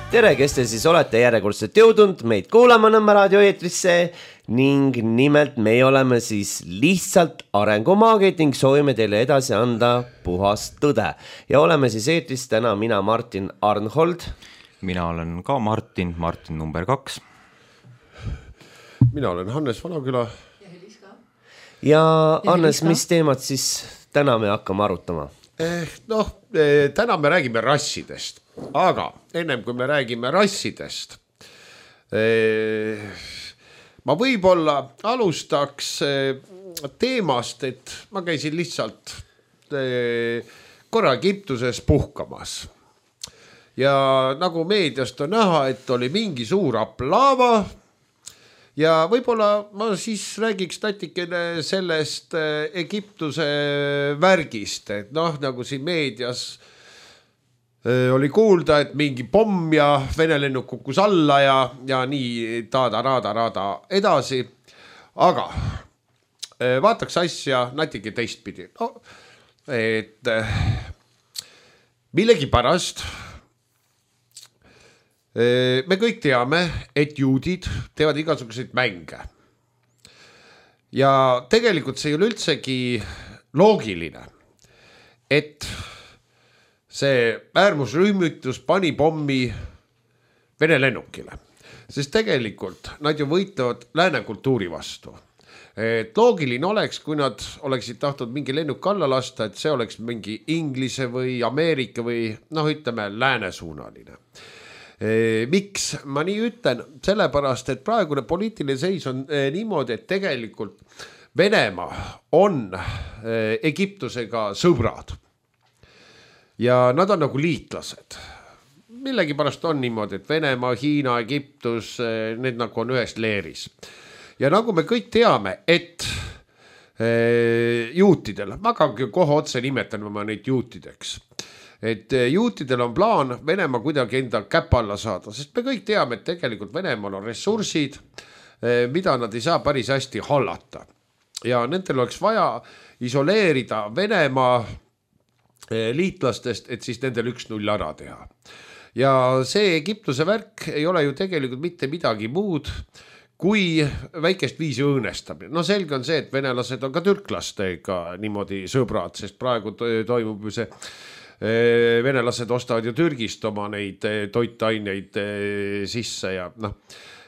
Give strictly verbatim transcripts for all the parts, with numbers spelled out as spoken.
tere, kes te siis olete järjekordselt jõudnud meid kuulama Nõmme raadio eetrisse ning nimelt me oleme siis lihtsalt arengumaagid ning soovime teile edasi anda puhast tõde. Ja oleme siis eetris täna mina Martin Arnhold. Mina olen ka Martin, Martin number kaks. Mina olen Hannes Vanaküla. Ja Heliska. Ja Hannes, mis teemad siis täna me hakkame arutama? Eh, noh, eh, täna me räägime rassidest, aga ennem kui me räägime rassidest, eh, ma võib-olla alustaks eh, teemast, et ma käisin lihtsalt eh, korra Egiptuses puhkamas. Ja nagu meediast on näha, et oli mingi suur aplaava ja võib-olla ma siis räägiks natikene sellest Egiptuse värgist, et noh, nagu siin meedias oli kuulda, et mingi pomm ja Vene lennuk kukkus alla ja, ja nii taada, raada, raada edasi. Aga vaataks asja natuke teistpidi. No, et millegi pärast me kõik teame, et juudid teevad igasuguseid mänge. Ja tegelikult see ei ole üldsegi loogiline, et see äärmusrühmitus pani pommi Vene lennukile. Sest tegelikult nad ju võitlevad lääne kultuuri vastu. Et loogiline oleks, kui nad oleksid tahtnud mingi lennuk alla lasta, et see oleks mingi Inglise või Ameerika või noh, ütleme läänesuunaline. Miks ma nii ütlen? Sellepärast, et praegune poliitiline seis on niimoodi, et tegelikult Venemaa on Egiptusega sõbrad. Ja nad on nagu liitlased. Millegi pärast on niimoodi, et Venemaa, Hiina, Egiptus, need nagu on ühes leeris. Ja nagu me kõik teame, et juutidel, ma ka kohe otse nimetan ma neid juutideks, et juutidel on plaan Venemaa kuidagi enda käpa alla saada, sest me kõik teame, et tegelikult Venemaal on ressursid, mida nad ei saa päris hästi hallata. Ja nendel oleks vaja isoleerida Venemaa liitlastest, et siis nendel üks null ära teha. Ja see Egiptuse värk ei ole ju tegelikult mitte midagi muud, kui väikest viisi õõnestamine. No selge on see, et venelased on ka türklastega niimoodi sõbrad, sest praegu toimub ju see venelased ostavad ju Türgist oma neid toitaineid sisse ja noh.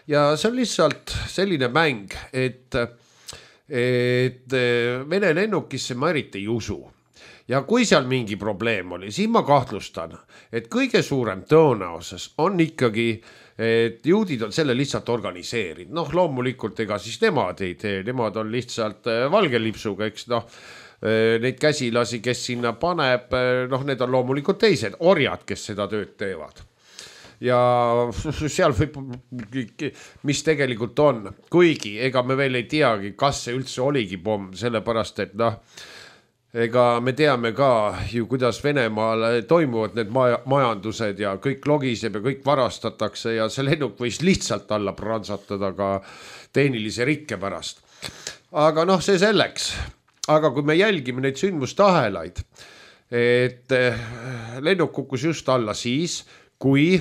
Ja see on lihtsalt selline mäng, et, et Vene lennukisse ma eriti ei usu. Ja kui seal mingi probleem oli, siis ma kahtlustan, et kõige suurem tõenäosus on ikkagi, et juudid on selle lihtsalt organiseerinud. Noh, loomulikult ega siis nemad ei tee, nemad on lihtsalt valge lipsuga, eks noh, neid käsilasi, kes sinna paneb, noh, need on loomulikult teised orjad, kes seda tööd teevad. Ja seal võib, mis tegelikult on, kuigi ega me veel ei teagi, kas see üldse oligi pomm, sellepärast, et noh, ega me teame ka ju, kuidas Venemaal toimuvad need majandused ja kõik logiseb ja kõik varastatakse ja see lennuk võis lihtsalt alla pransatada ka tehnilise rikke pärast. Aga noh, see selleks. Aga kui me jälgime neid sündmustahelaid, et lennuk kukkus just alla siis, kui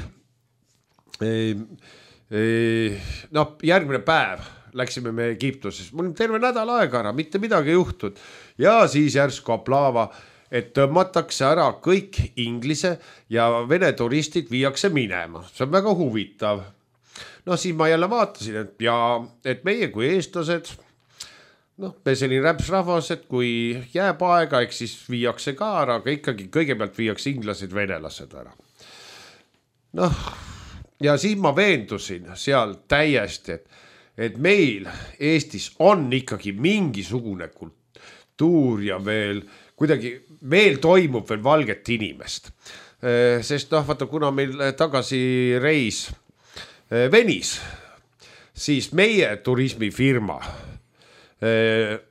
noh, järgmine päev läksime me Egiptuses. Mul on terve nädal aega ära, mitte midagi juhtud. Ja siis järsku aplaava, et tõmmatakse ära kõik inglise ja vene turistid viiakse minema. See on väga huvitav. No siis ma jälle vaatasin, et, ja, et meie kui eestlased, noh, me selline räpsrahvas, et kui jääb aega, eks siis viiakse ka ära, aga ikkagi kõigepealt viiakse inglased, venelased ära. Noh, ja siis ma veendusin seal täiesti, et et meil Eestis on ikkagi mingisugune kultuur ja veel kuidagi veel toimub veel valget inimest. Sest noh, vaata, kuna meil tagasi reis venis, siis meie turismifirma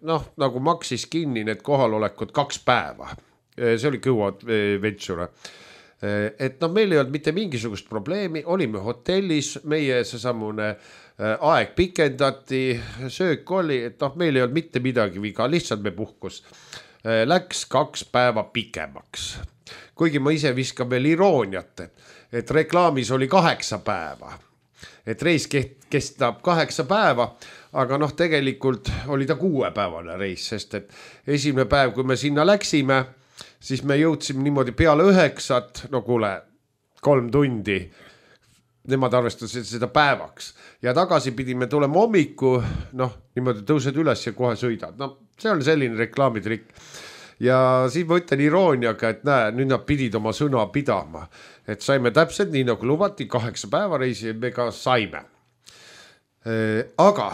noh, nagu maksis kinni need kohalolekud kaks päeva. See oli Kõua Venture. Et noh, meil ei olnud mitte mingisugust probleemi, olime hotellis, meie see samune aeg pikendati, söök oli, et noh, meil ei olnud mitte midagi viga, lihtsalt me puhkus. Läks kaks päeva pikemaks. Kuigi ma ise viskan veel irooniat, et reklaamis oli kaheksa päeva, et reis kestab kaheksa päeva, aga noh, tegelikult oli ta kuuepäevane reis, sest et esimene päev, kui me sinna läksime, siis me jõudsime niimoodi peale üheksat, no kuule, kolm tundi, nemad arvestasid seda päevaks ja tagasi pidime tulema hommiku, noh, niimoodi tõused üles ja kohe sõidad. No see on selline reklaamitrikk. Ja siis ma ütlen irooniaga, et näe, nüüd nad pidid oma sõna pidama, et saime täpselt nii nagu lubati, kaheksa päeva reisi me ka saime. Aga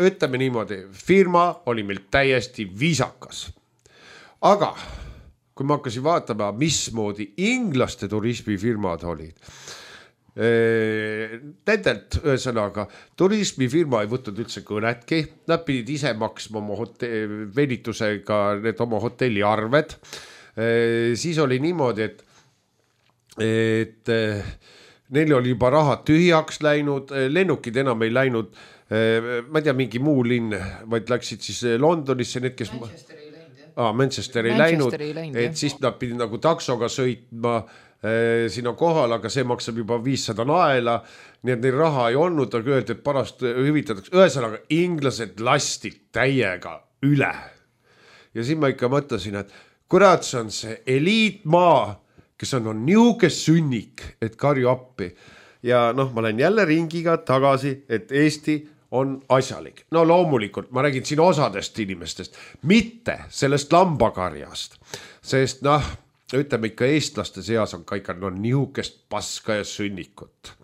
ütleme niimoodi, firma oli meil täiesti viisakas. Aga kui ma hakkasin vaatama, mismoodi inglaste turismifirmad olid, nendelt ühesõnaga turismifirma ei võtnud üldse kõnetki, nad pidid ise maksma oma hotelli, venitusega need oma hotelli arved. Siis oli niimoodi, et, et neil oli juba rahad tühjaks läinud, lennukid enam ei läinud, ma ei tea, mingi muu linn, vaid läksid siis Londonisse, need, kes Manchester ei läinud, ah, Manchester ei läinud, et siis nad pidid nagu taksoga sõitma siin on kohal, aga see maksab juba viissada naela, nii et neil raha ei olnud, aga öeldi, et parast hüvitatakse. Ühesõnaga, inglased lasti täiega üle. Ja siin ma ikka mõtlesin, et kurat, see on see eliitmaa, kes on, on niuke sünnik, et karju appi. Ja noh, ma lähen jälle ringiga tagasi, et Eesti on asjalik. No loomulikult, ma räägin siin osadest inimestest, mitte sellest lambakarjast, sest noh, ütleme ikka eestlaste seas on ka ikka no, nihukest paska ja sünnikut.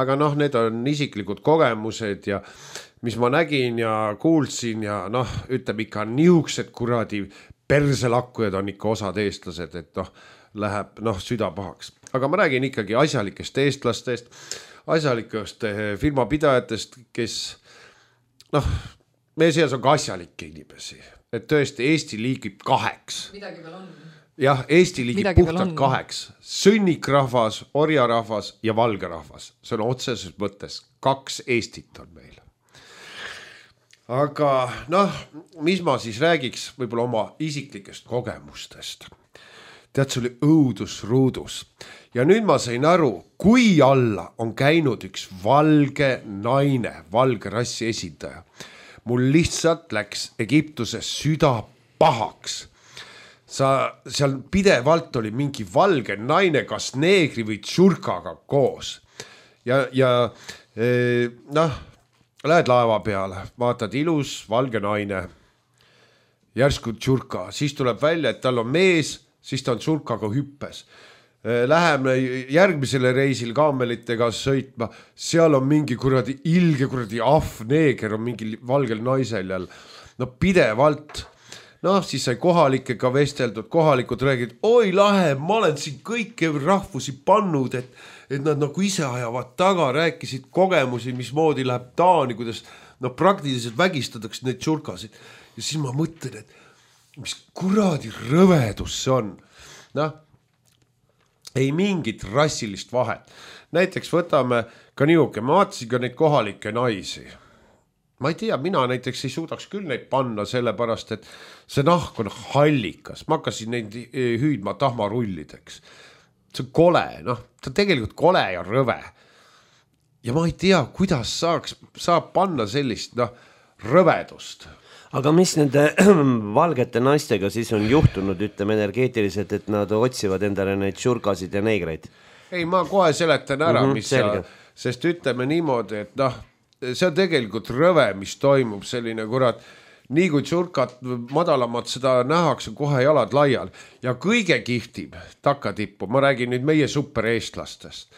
Aga noh, need on isiklikud kogemused ja mis ma nägin ja kuulsin ja noh, ütleme ikka nihuksed kuradi perselakkujad on ikka osad eestlased, et noh, läheb noh, süda pahaks. Aga ma räägin ikkagi asjalikest eestlastest, asjalikest firmapidajatest, kes noh, meie seas on ka asjalikke inimesi, et tõesti Eesti liigib kaheks. Midagi veel on. Jah, Eesti liigib Midagi puhtalt kaheks. Sünnikrahvas, orjarahvas ja valgerahvas. See on otseses mõttes. Kaks Eestit on meil. Aga noh, mis ma siis räägiks võib-olla oma isiklikest kogemustest. Tead, see oli õudusruudus. Ja nüüd ma sain aru, kui alla on käinud üks valge naine, valge rassi esindaja. Mul lihtsalt läks Egiptuses süda pahaks. Sa, seal pidevalt oli mingi valge naine, kas neegri või tšurkaga koos. Ja, ja e, noh, lähed laeva peale, vaatad ilus valge naine, järsku tšurka, siis tuleb välja, et tal on mees, siis ta on tšurkaga hüppes. Läheme järgmisele reisil kaamelitega sõitma, seal on mingi kuradi ilge kuradi ahv neeger on mingi valgel naisel jälle. No pidevalt. Noh, siis sai kohalikega vesteldud, kohalikud räägid, oi lahe, ma olen siin kõiki rahvusi pannud, et, et nad nagu ise ajavad taga, rääkisid kogemusi, mismoodi läheb Taani, kuidas no, praktiliselt vägistatakse neid tšurkasid. Ja siis ma mõtlen, et mis kuradi rõvedus see on. Noh, ei mingit rassilist vahet. Näiteks võtame ka niuke, ma vaatasin ka neid kohalikke naisi. Ma ei tea, mina näiteks ei suudaks küll neid panna sellepärast, et see nahk on hallikas. Ma hakkasin neid hüüdma tahmarullideks. See on kole, noh, ta on tegelikult kole ja rõve. Ja ma ei tea, kuidas saaks, saab panna sellist noh, rõvedust. Aga mis nende valgete naistega siis on juhtunud, ütleme energeetiliselt, et nad otsivad endale neid tšurkasid ja neegreid? Ei, ma kohe seletan ära, mm-hmm, mis sa, sest ütleme niimoodi, et noh, see on tegelikult rõve, mis toimub selline kurat, nii kui tšurkat madalamad seda nähakse kohe jalad laial ja kõige kihtim takatippu, ma räägin nüüd meie supereestlastest,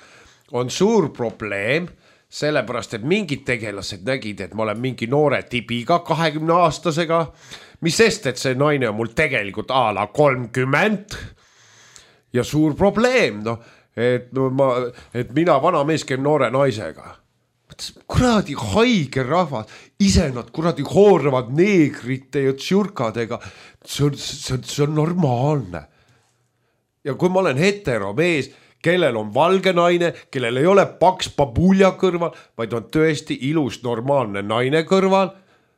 on suur probleem, sellepärast, et mingid tegelased nägid, et ma olen mingi noore tibiga kahekümne aastasega, mis sest, et see naine on mul tegelikult a la kolmkümmend ja suur probleem, no, et, no, ma, et mina vana mees käin noore naisega. Kuradi haige rahvas, ise nad kuradi hooravad neegrite ja tšurkadega, see on, see, on, see on normaalne. Ja kui ma olen hetero mees, kellel on valge naine, kellel ei ole paks babulja kõrval, vaid on tõesti ilus normaalne naine kõrval,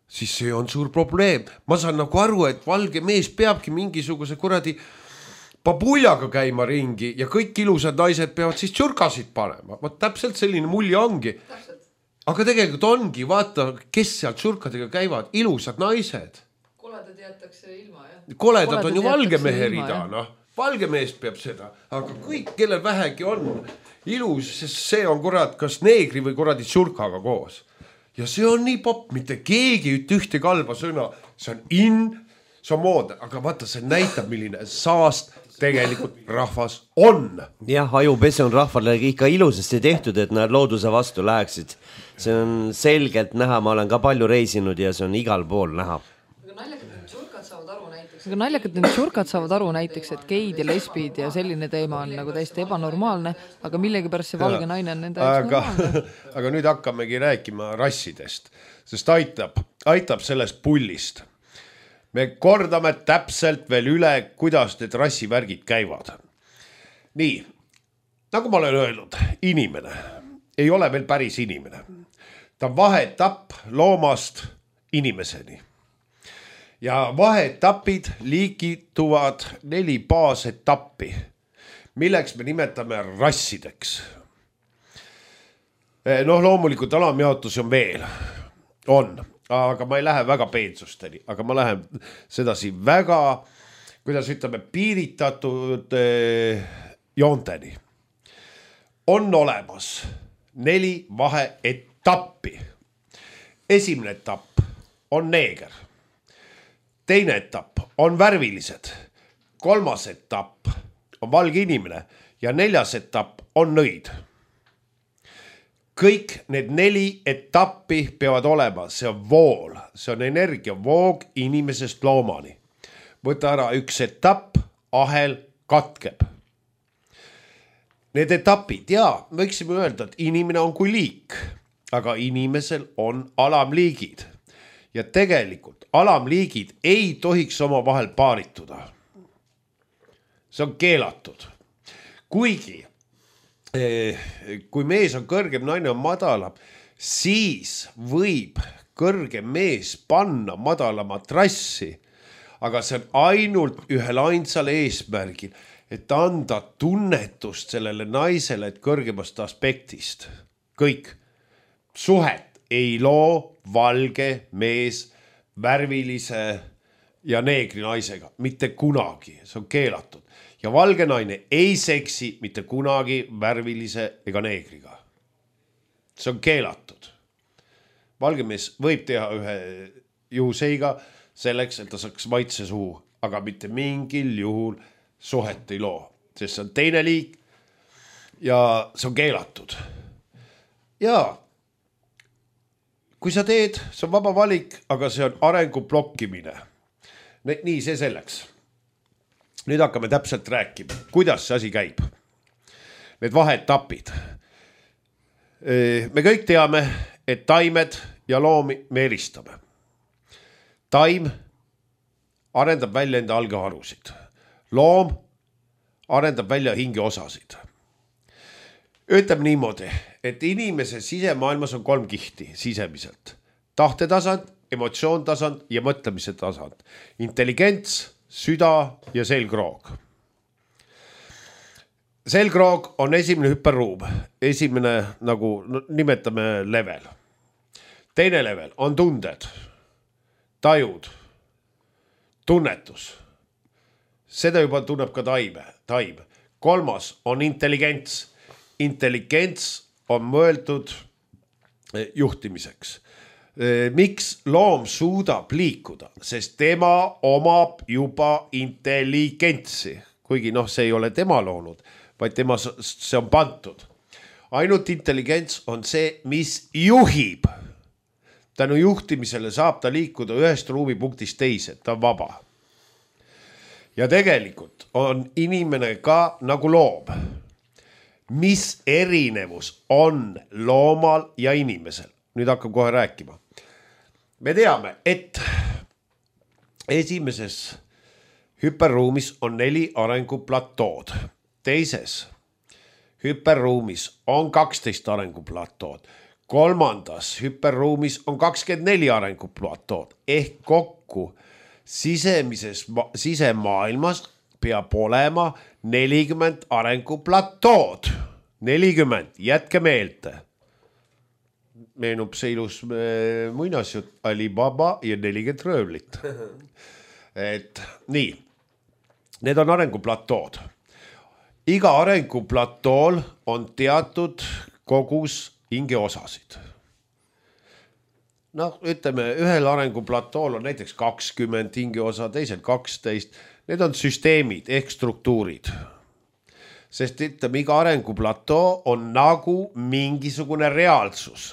siis see on suur probleem. Ma saan nagu aru, et valge mees peabki mingisuguse kuradi babuljaga käima ringi ja kõik ilusad naised peavad siis tšurkasid panema. Vaat täpselt selline mulje ongi. Aga tegelikult ongi, vaata, kes seal tšurkadega käivad, ilusad naised. Koledad jätakse ilma, jah. Koledad, Koledad on ju valge mehe rida, noh. Valge mees peab seda, aga kõik, kellel vähegi on ilus, sest see on kurat kas neegri või kuradi tšurkaga koos. Ja see on nii popp, mitte keegi üt ühte kalba sõna, see on in, see on moodne, aga vaata, see näitab, milline saast tegelikult rahvas on. Jah, ajupese on rahvale ikka ilusasti tehtud, et nad looduse vastu läheksid. See on selgelt näha, ma olen ka palju reisinud ja see on igal pool näha. Aga naljakad need tšurkad saavad aru näiteks, et geid ja lesbid ja selline teema on nagu täiesti ebanormaalne, aga millegi pärast see valge naine on nende aga, aga nüüd hakkamegi rääkima rassidest, sest aitab, aitab sellest pullist. Me kordame täpselt veel üle, kuidas need rassivärgid käivad. Nii, nagu ma olen öelnud, inimene ei ole veel päris inimene. Ta on vaheetapp loomast inimeseni. Ja vaheetapid liikituvad neli baasetappi, milleks me nimetame rassideks. Noh, loomulikult alamjaotus on veel, on, aga ma ei lähe väga peensusteni, aga ma lähen sedasi väga, kuidas ütleme, piiritatud joonteni. On olemas neli vaheetappi. Esimene etapp on neeger. Teine etapp on värvilised, kolmas etapp on valge inimene ja neljas etapp on nõid. Kõik need neli etappi peavad olema, see on vool, see on energia voog inimesest loomani. Võta ära üks etapp, ahel katkeb. Need etapid, jaa, võiksime öelda, et inimene on kui liik, aga inimesel on alamliigid. Ja tegelikult alamliigid ei tohiks oma vahel paarituda. See on keelatud. Kuigi, kui mees on kõrgem, naine on madalam, siis võib kõrgem mees panna madalama trassi, aga see on ainult ühel ainsal eesmärgil, et anda tunnetust sellele naisele, et kõrgemast aspektist. Kõik suhet ei loo valge mees värvilise ja neegri naisega. Mitte kunagi, see on keelatud. Ja valge naine ei seksi mitte kunagi värvilise ega neegriga. See on keelatud. Valge mees võib teha ühe juhuseiga selleks, et ta saaks maitse suhu, aga mitte mingil juhul suhet ei loo, sest see on teine liik ja see on keelatud. Ja kui sa teed, see on vaba valik, aga see on arengu blokkimine. Nii, see selleks. Nüüd hakkame täpselt rääkima, kuidas see asi käib. Need vaheetapid. Me kõik teame, et taimed ja loomi me eristame. Taim arendab välja enda algeharusid. Loom arendab välja hingeosasid. Ütleme niimoodi, et inimese sisemaailmas on kolm kihti sisemiselt. Tahtetasand, emotsioontasand ja mõtlemise tasand. Intelligents, süda ja selgroog. Selgroog on esimene hüperruum. Esimene, nagu nimetame level. Teine level on tunded, tajud, tunnetus. Seda juba tunneb ka taime, taim. Kolmas on intelligents. Intelligents on mõeldud juhtimiseks. Miks loom suudab liikuda? Sest tema omab juba intelligentsi. Kuigi noh, see ei ole tema loonud, vaid tema see on pantud. Ainult intelligents on see, mis juhib. Tänu juhtimisele saab ta liikuda ühest ruumipunktist teise, ta on vaba. Ja tegelikult on inimene ka nagu loom. Mis erinevus on loomal ja inimesel? Nüüd hakkab kohe rääkima. Me teame, et esimeses hüperruumis on neli arenguplatood. Teises hüperruumis on kaksteist arenguplatood. Kolmandas hüperruumis on kakskümmend neli arenguplatood. Ehk kokku sisemises, sisemaailmas peab olema nelikümmend arenguplatood. nelikümmend, jätke meelde. Meenub see ilus muinasjutt Alibaba ja nelikümmend röövlit. Et nii, need on arenguplatood. Iga arenguplatool on teatud kogus hingeosasid. No ütleme, ühel arenguplatool on näiteks kakskümmend hingeosa, teisel kaksteist. Need on süsteemid ehk struktuurid. Sest ütleme, iga arenguplatoo on nagu mingisugune reaalsus.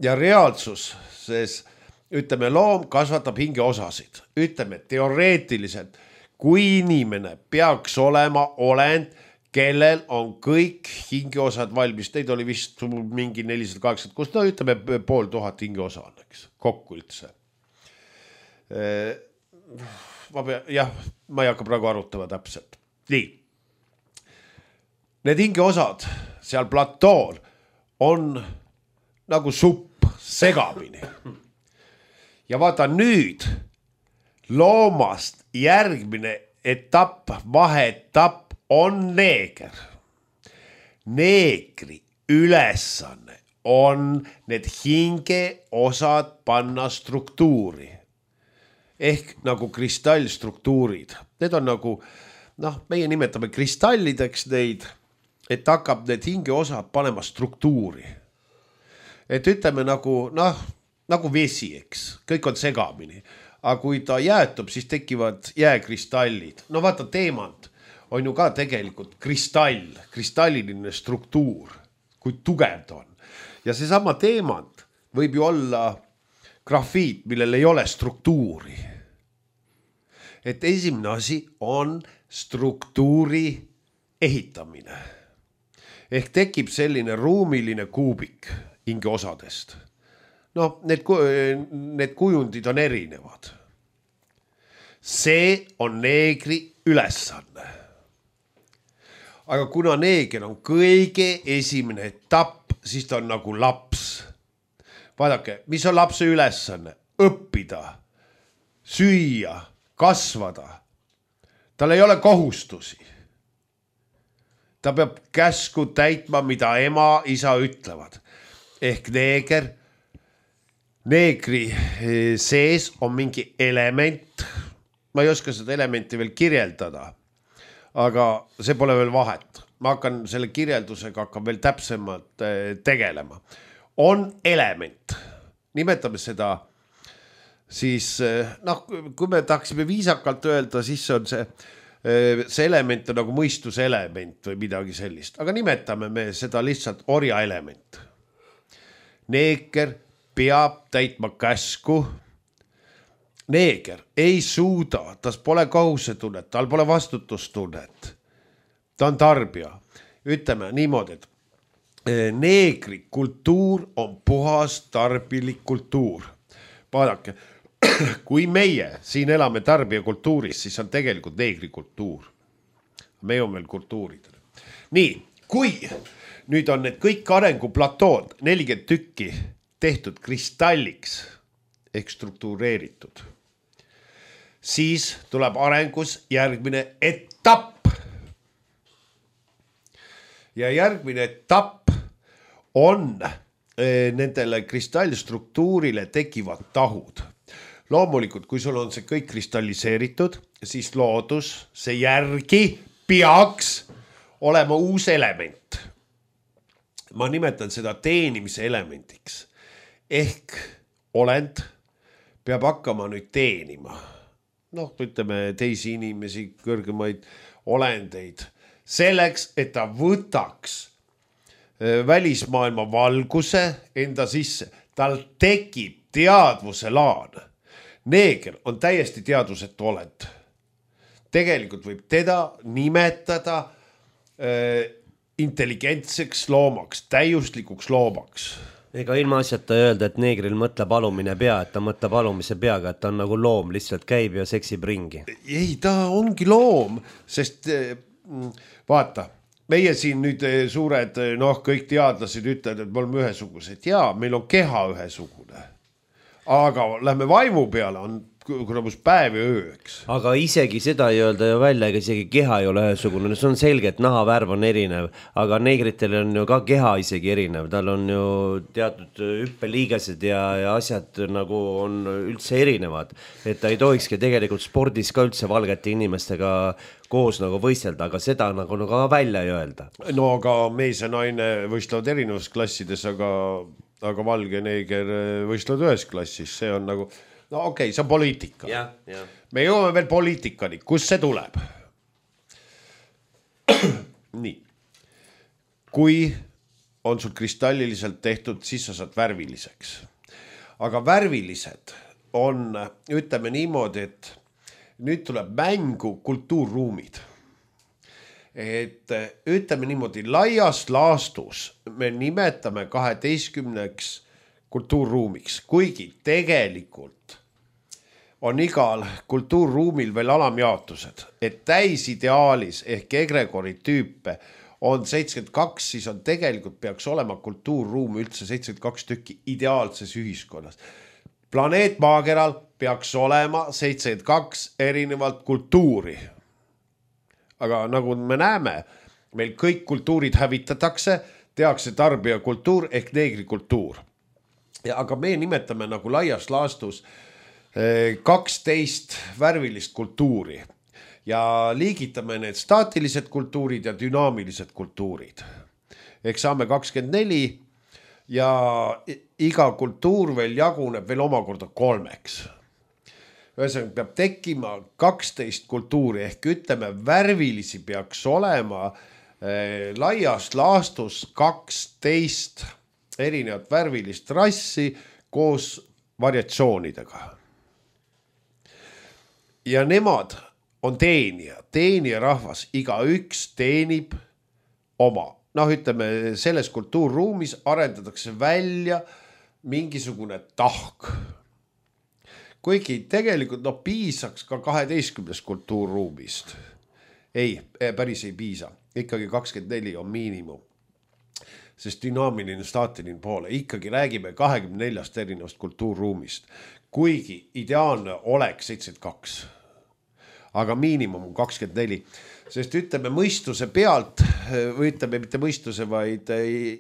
Ja reaalsus, sest ütleme, loom kasvatab hingeosasid. Ütleme, teoreetiliselt, kui inimene peaks olema olend, kellel on kõik hingeosad valmis, neid oli vist mingi nelisada kaheksakümmend kuus, no ütleme pool tuhat hingeosa on, eks, kokku üldse. Ma pea, jah, ma ei hakka praegu arutama täpselt. Nii. Need hingeosad seal platool on nagu supp segamini. Ja vaata nüüd loomast järgmine etapp, vaheetapp on neeger. Neegri ülesanne on need hingeosad panna struktuuri. Ehk nagu kristallstruktuurid. Need on nagu, noh, meie nimetame kristallideks neid, et hakkab need hingeosad panema struktuuri. Et ütleme nagu, noh, nagu vesi, eks, kõik on segamini. Aga kui ta jäätub, siis tekivad jääkristallid. No vaata, teemant on ju ka tegelikult kristall, kristalliline struktuur, kui tugev ta on. Ja see sama teemant võib ju olla grafiit, millel ei ole struktuuri. Et esimene asi on struktuuri ehitamine. Ehk tekib selline ruumiline kuubik hingeosadest. No, need, need kujundid on erinevad. See on neegri ülesanne. Aga kuna neeger on kõige esimene etapp, siis ta on nagu laps. Vaadake, mis on lapse ülesanne? Õppida, süüa, kasvada. Tal ei ole kohustusi. Ta peab käsku täitma, mida ema, isa ütlevad. Ehk neeger, neegri sees on mingi element. Ma ei oska seda elementi veel kirjeldada, aga see pole veel vahet. Ma hakkan selle kirjeldusega hakkan veel täpsemalt tegelema. On element. Nimetame seda siis, noh, kui me tahaksime viisakalt öelda, siis on see, see element on nagu mõistuselement või midagi sellist. Aga nimetame me seda lihtsalt orja element. Neeger peab täitma käsku. Neeger ei suuda, tas pole kohusetunnet, tal pole vastutustunnet. Ta on tarbija. Ütleme niimoodi, et neegri kultuur on puhas tarbilik kultuur. Vaadake, kui meie siin elame tarbijakultuuris, siis on tegelikult neegri kultuur. Me on veel kultuurid. Nii, kui nüüd on need kõik arenguplatood nelikümmend tükki tehtud kristalliks ehk struktureeritud, siis tuleb arengus järgmine etapp. Ja järgmine etapp on nendele kristallstruktuurile tekivad tahud. Loomulikult, kui sul on see kõik kristalliseeritud, siis loodus see järgi peaks olema uus element. Ma nimetan seda teenimise elemendiks. Ehk olend peab hakkama nüüd teenima. Noh, ütleme teisi inimesi, kõrgemaid olendeid. Selleks, et ta võtaks välismaailma valguse enda sisse. Tal tekib teadvuse laan. Neeger on täiesti teadvusetu olend. Tegelikult võib teda nimetada äh, intelligentseks loomaks, täiuslikuks loomaks. Ega ilma asjata öelda, et neegril mõtleb alumine pea, et ta mõtleb alumise peaga, et ta on nagu loom, lihtsalt käib ja seksib ringi. Ei, ta ongi loom, sest vaata, meie siin nüüd suured, noh, kõik teadlased ütlevad, et me oleme ühesugused. Jaa, meil on keha ühesugune. Aga lähme vaimu peale, on kurabus päev ja öö, eks. Aga isegi seda ei öelda ju välja, ega isegi keha ei ole ühesugune, see on selge, et nahavärv on erinev, aga neegritel on ju ka keha isegi erinev, tal on ju teatud hüppeliigesed ja, ja asjad nagu on üldse erinevad, et ta ei tohikski tegelikult spordis ka üldse valgete inimestega koos nagu võistelda, aga seda nagu, nagu välja ei öelda. No aga mees ja naine võistlevad erinevus klassides, aga, aga valge neeger võistlevad ühes klassis, see on nagu, no okei okay,, see on poliitika. Ja, ja. Me jõuame veel poliitikani, kus see tuleb? Nii, kui on sul kristalliliselt tehtud, siis sa saad värviliseks. Aga värvilised on, ütleme niimoodi, et nüüd tuleb mängu kultuurruumid. Et ütleme niimoodi, laias laastus me nimetame kaheteistkümneks kultuurruumiks, kuigi tegelikult on igal kultuurruumil veel alamjaotused, et täisideaalis ehk egregori tüüpe on seitsekümmend kaks, siis on tegelikult peaks olema kultuurruum üldse seitsekümmend kaks tükki ideaalses ühiskonnas. Planeet maakeral peaks olema seitsekümmend kaks erinevalt kultuuri. Aga nagu me näeme, meil kõik kultuurid hävitatakse, tehakse tarbijakultuur ehk neegrikultuur. Ja aga me nimetame nagu laias laastus kaksteist värvilist kultuuri ja liigitame need staatilised kultuurid ja dünaamilised kultuurid. Ehk saame kakskümmend neli ja iga kultuur veel jaguneb veel omakorda kolmeks. Ühesõnaga peab tekkima kaksteist kultuuri ehk ütleme värvilisi peaks olema eh, laias laastus kaksteist erinevat värvilist rassi koos variatsioonidega. Ja nemad on teenija, teenija rahvas, iga üks teenib oma. Noh, ütleme, selles kultuurruumis arendatakse välja mingisugune tahk. Kuigi tegelikult no, piisaks ka kaheteistkümnest kultuurruumist. Ei, päris ei piisa. Ikkagi kakskümmend neli on miinimum. Sest dünaamiline staatiline poole. Ikkagi räägime kahekümne neljast erinevast kultuurruumist. Kuigi ideaalne oleks seitsekümmend kaks. Aga miinimum on kakskümmend neli. Sest ütleme mõistuse pealt, või ütleme mitte mõistuse, vaid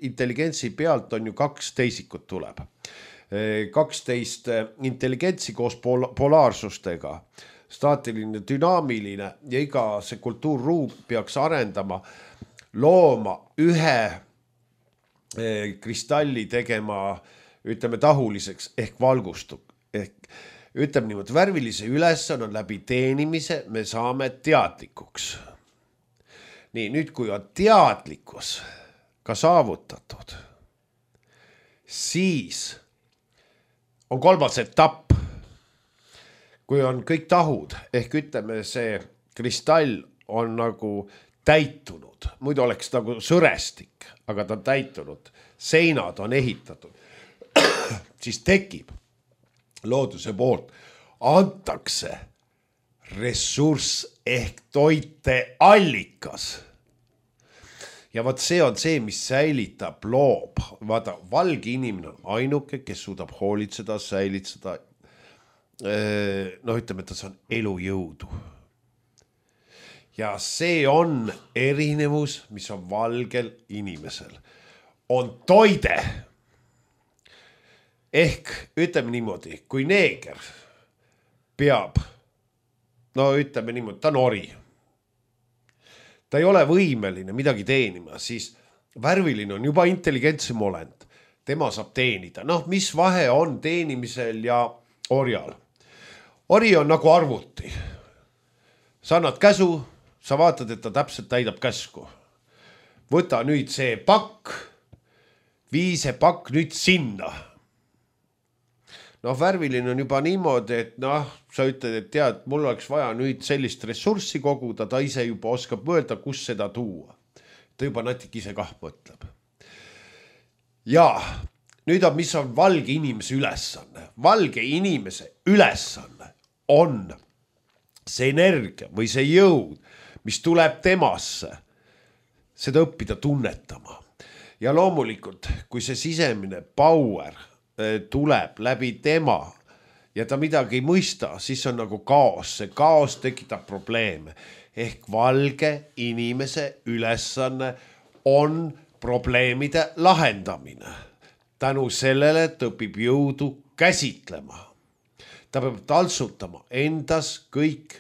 intelligentsi pealt on ju kaks teisikut tuleb. kaksteist intelligentsi koos pol- polaarsustega, staatiline, dünaamiline ja iga see kultuurruum peaks arendama, looma ühe kristalli tegema, ütleme tahuliseks ehk valgustu. Ehk ütleme niimoodi, värvilise ülesanne on läbi teenimise, me saame teadlikuks. Nii, nüüd kui on teadlikkus ka saavutatud, siis on kolmas etapp, kui on kõik tahud, ehk ütleme see kristall on nagu täitunud, muidu oleks nagu sõrestik, aga ta on täitunud, seinad on ehitatud, siis tekib looduse poolt, antakse ressurss ehk toite allikas. Ja vaat see on see, mis säilitab, loob. Vaata, valge inimene on ainuke, kes suudab hoolitseda, säilitseda. No ütleme, et see on elujõudu. Ja see on erinevus, mis on valgel inimesel. On toide. Ehk ütleme niimoodi, kui neeger peab, no ütleme niimoodi, ta on ori. Ta ei ole võimeline midagi teenima, siis värviline on juba intelligentsem olend. Tema saab teenida. Noh, mis vahe on teenimisel ja orjal? Ori on nagu arvuti. Sa annad käsu, sa vaatad, et ta täpselt täidab käsku. Võta nüüd see pakk, vii see pakk nüüd sinna. Noh, värviline on juba niimoodi, et noh, sa ütled, et tead, mul oleks vaja nüüd sellist ressurssi koguda, ta ise juba oskab mõelda, kus seda tuua. Ta juba natik ise kah mõtleb. Ja nüüd on, mis on valge inimese ülesanne. Valge inimese ülesanne on see energia või see jõud, mis tuleb temasse, seda õppida tunnetama. Ja loomulikult, kui see sisemine power tuleb läbi tema ja ta midagi ei mõista, siis on nagu kaos, see kaos tekitab probleeme. Ehk valge inimese ülesanne on probleemide lahendamine. Tänu sellele ta õpib jõudu käsitlema. Ta peab taltsutama endas kõik,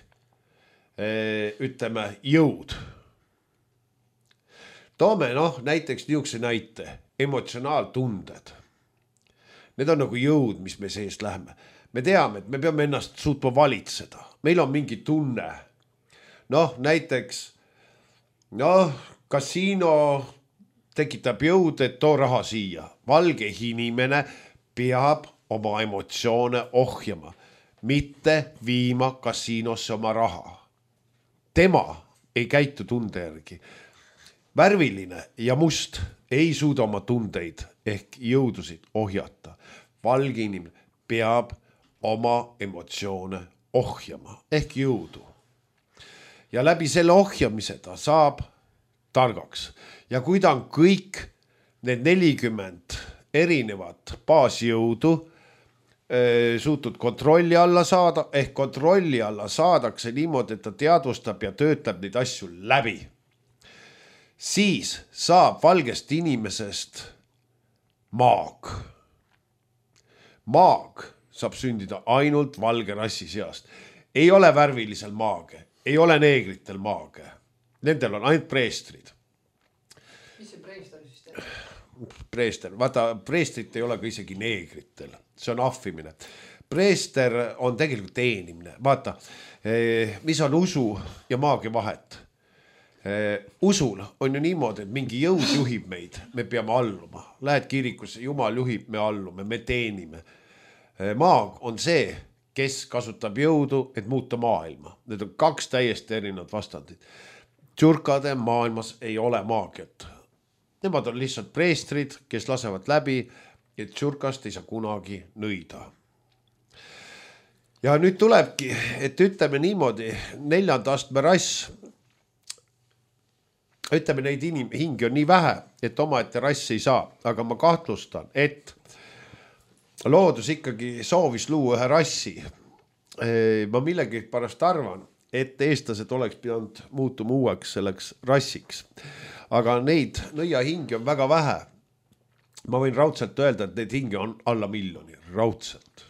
ütleme, jõud. Toome noh, näiteks niisuguse näite, emotsionaaltunded. Need on nagu jõud, mis me sees läheme. Me teame, et me peame ennast suutma valitseda. Meil on mingi tunne. Noh, näiteks, noh, kasiino tekitab jõud, et too raha siia. Valge inimene peab oma emotsioone ohjama, mitte viima kasiinosse oma raha. Tema ei käitu tunde järgi. Värviline ja must ei suuda oma tundeid ehk jõudusid ohjata. Valge inimene peab oma emotsioone ohjama ehk jõudu. Ja läbi selle ohjamise ta saab targaks. Ja kui ta on kõik need nelikümmend erinevat baasjõudu suutud kontrolli alla saada, ehk kontrolli alla saadakse niimoodi, et ta teadvustab ja töötab neid asju läbi. Siis saab valgest inimesest maag. Maag saab sündida ainult valge rassi seast. Ei ole värvilisel maage, ei ole neegritel maage. Nendel on ainult preestrid. Mis see preester siis teeb? Preester, vaata, preestrit ei ole ka isegi neegritel, see on ahvimine. Preester on tegelikult teenimine, vaata, mis on usu ja maagia vahet. Usul on ju niimoodi, et mingi jõud juhib meid, me peame alluma. Lähed kirikusse, Jumal juhib, me allume, me teenime. Maag on see, kes kasutab jõudu, et muuta maailma. Need on kaks täiesti erinevad vastandid. Tšurkade maailmas ei ole maagiat. Nemad on lihtsalt preestrid, kes lasevad läbi, et tšurkast ei saa kunagi nõida. Ja nüüd tulebki, et ütleme niimoodi, neljanda astme rass, ütleme neid inim- hingi on nii vähe, et oma ette rass ei saa, aga ma kahtlustan, et loodus ikkagi soovis luua ühe rassi. Ma millegi pärast arvan, et eestlased oleks pidanud muutuma uueks selleks rassiks. Aga neid nõiahingi on väga vähe. Ma võin raudselt öelda, et neid hingi on alla miljoni, raudselt.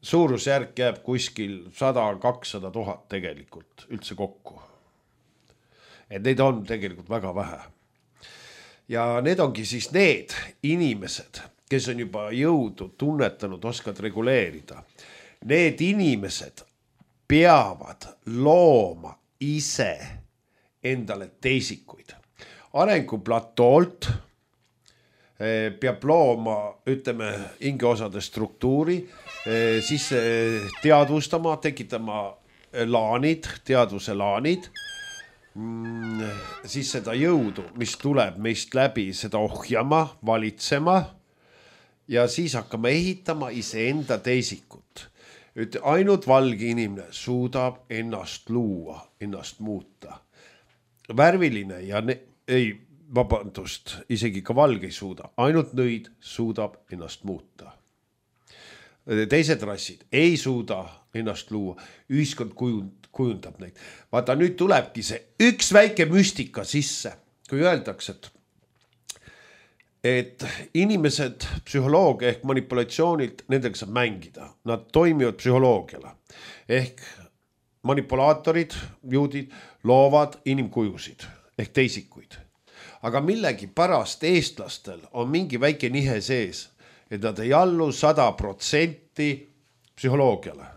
Suurusjärk jääb kuskil sada kakssada tuhat tegelikult üldse kokku. Et neid on tegelikult väga vähe. Ja need ongi siis need inimesed, kes on juba jõudu tunnetanud, oskad reguleerida. Need inimesed peavad looma ise endale teisikuid. Arenguplatolt peab looma, ütleme, hingeosade struktuuri, siis teadvustama, tekitama laanid, teadvuse laanid, siis seda jõudu, mis tuleb meist läbi, seda ohjama, valitsema ja siis hakkama ehitama iseenda teisikut. Ainult valge inimene suudab ennast luua, ennast muuta. Värviline ja ne- ei, vabandust, isegi ka valge ei suuda. Ainult nõid suudab ennast muuta. Teised rassid ei suuda ennast luua. Ühiskond kujundab neid. Vaata, nüüd tulebki see üks väike müstika sisse, kui öeldakse, et et inimesed psühholoogia ehk manipulatsioonilt, nendega saab mängida. Nad toimivad psühholoogiale. Ehk manipulaatorid, juudid, loovad inimkujusid ehk teisikuid. Aga millegi pärast eestlastel on mingi väike nihe sees, et nad ei allu sada protsenti psühholoogiale.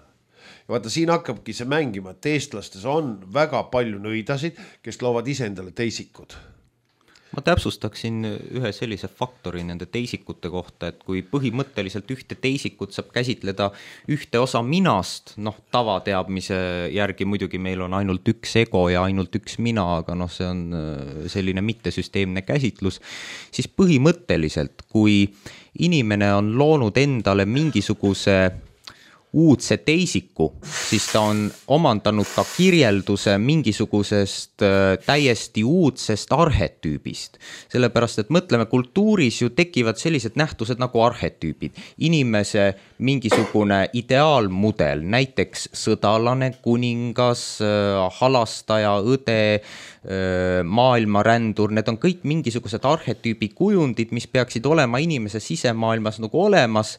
Ja vaata, siin hakkabki see mängima, et eestlastes on väga palju nõidasid, kes loovad iseendale teisikud. Ma täpsustaksin ühe sellise faktori nende teisikute kohta, et kui põhimõtteliselt ühte teisikut saab käsitleda ühte osa minast, noh tavateadmise järgi muidugi meil on ainult üks ego ja ainult üks mina, aga noh, see on selline mittesüsteemne käsitlus, siis põhimõtteliselt, kui inimene on loonud endale mingisuguse uudse teisiku, siis ta on omandanud ka kirjelduse mingisugusest täiesti uudsest arhetüübist. Sellepärast, et mõtleme, kultuuris ju tekivad sellised nähtused nagu arhetüübid. Inimese mingisugune ideaalmudel, näiteks sõdalane, kuningas, halastaja, õde, maailmarändur, need on kõik mingisugused arhetüübi kujundid, mis peaksid olema inimese sisemaailmas nagu olemas.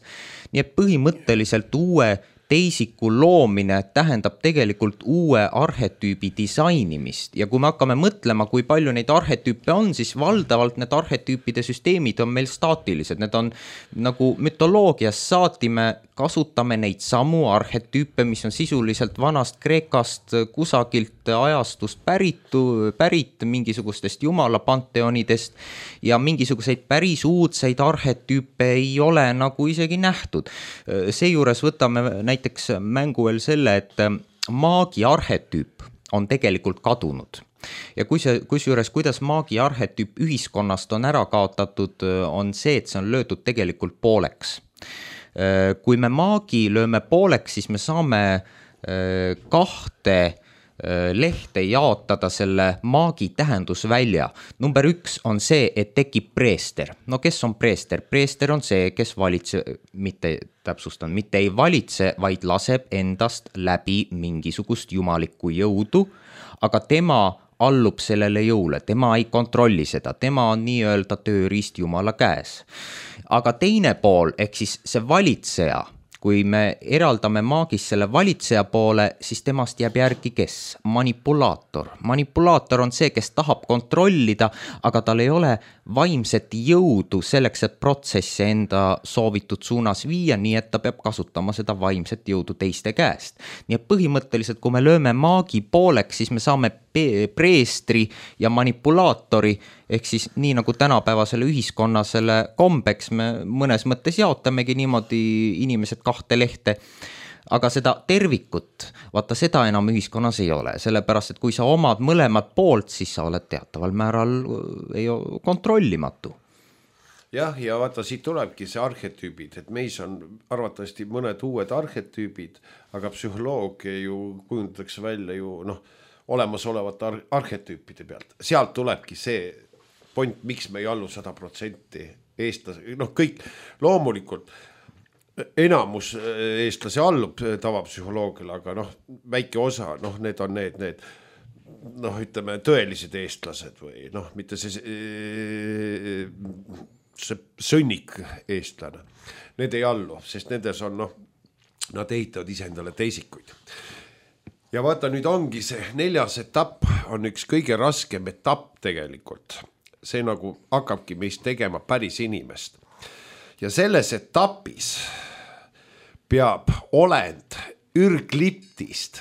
Nii et põhimõtteliselt uue teisiku loomine tähendab tegelikult uue arhetüübi disainimist ja kui me hakkame mõtlema, kui palju neid arhetüüpe on, siis valdavalt need arhetüüpide süsteemid on meil staatilised, need on nagu mütoloogias saati, me kasutame neid samu arhetüüpe, mis on sisuliselt vanast Kreekast kusagilt ajastust päritu, pärit mingisugustest jumala panteonidest ja mingisuguseid päris uudseid arhetüüpe ei ole nagu isegi nähtud. Seejuures võtame näiteks mängu veel selle, et maagi arhetüüp on tegelikult kadunud. Ja kui see, kusjuures, kuidas maagi arhetüüp ühiskonnast on ära kaotatud, on see, et see on löödud tegelikult pooleks. Kui me maagi lööme pooleks, siis me saame kahte lehte jaotada selle maagi tähendusvälja. Number üks on see, et tekib preester. No kes on preester? Preester on see, kes valitse, mitte täpsustan, mitte ei valitse, vaid laseb endast läbi mingisugust jumalikku jõudu, aga tema allub sellele jõule, tema ei kontrolli seda, tema on nii-öelda tööriist jumala käes. Aga teine pool, ehk siis see valitseja, kui me eraldame maagis selle valitseja poole, siis temast jääb järgi kes? Manipulaator. Manipulaator on see, kes tahab kontrollida, aga tal ei ole vaimset jõudu selleks, et protsessi enda soovitud suunas viia, nii et ta peab kasutama seda vaimset jõudu teiste käest. Nii et põhimõtteliselt, kui me lööme maagi pooleks, siis me saame preestri ja manipulaatori, ehk siis nii nagu tänapäevasele ühiskonnasele kombeks me mõnes mõttes jaotamegi niimoodi inimesed kahte lehte, aga seda tervikut, vaata seda enam ühiskonnas ei ole, sellepärast, et kui sa omad mõlemad poolt, siis sa oled teataval määral ei kontrollimatu. Jah, ja vaata, siit tulebki see arhetüübid, et meis on arvatavasti mõned uued arhetüübid, aga psühholoogia ju kujundatakse välja ju noh, olemasolevate ar- arhetüüpide pealt. Sealt tulebki see point, miks me ei allu sada protsenti eestlase, noh kõik loomulikult enamus eestlase allub tavapsühholoogiale, aga noh, väike osa, noh need on need, need noh, ütleme tõelised eestlased või noh, mitte see, see sõnnik eestlane. Need ei allu, sest nendes on noh, nad ehitavad iseendale teisikuid. Ja vaata, nüüd ongi see neljas etapp on üks kõige raskem etapp tegelikult. See nagu hakkabki meist tegema päris inimest. Ja selles etapis peab olend ürgliptist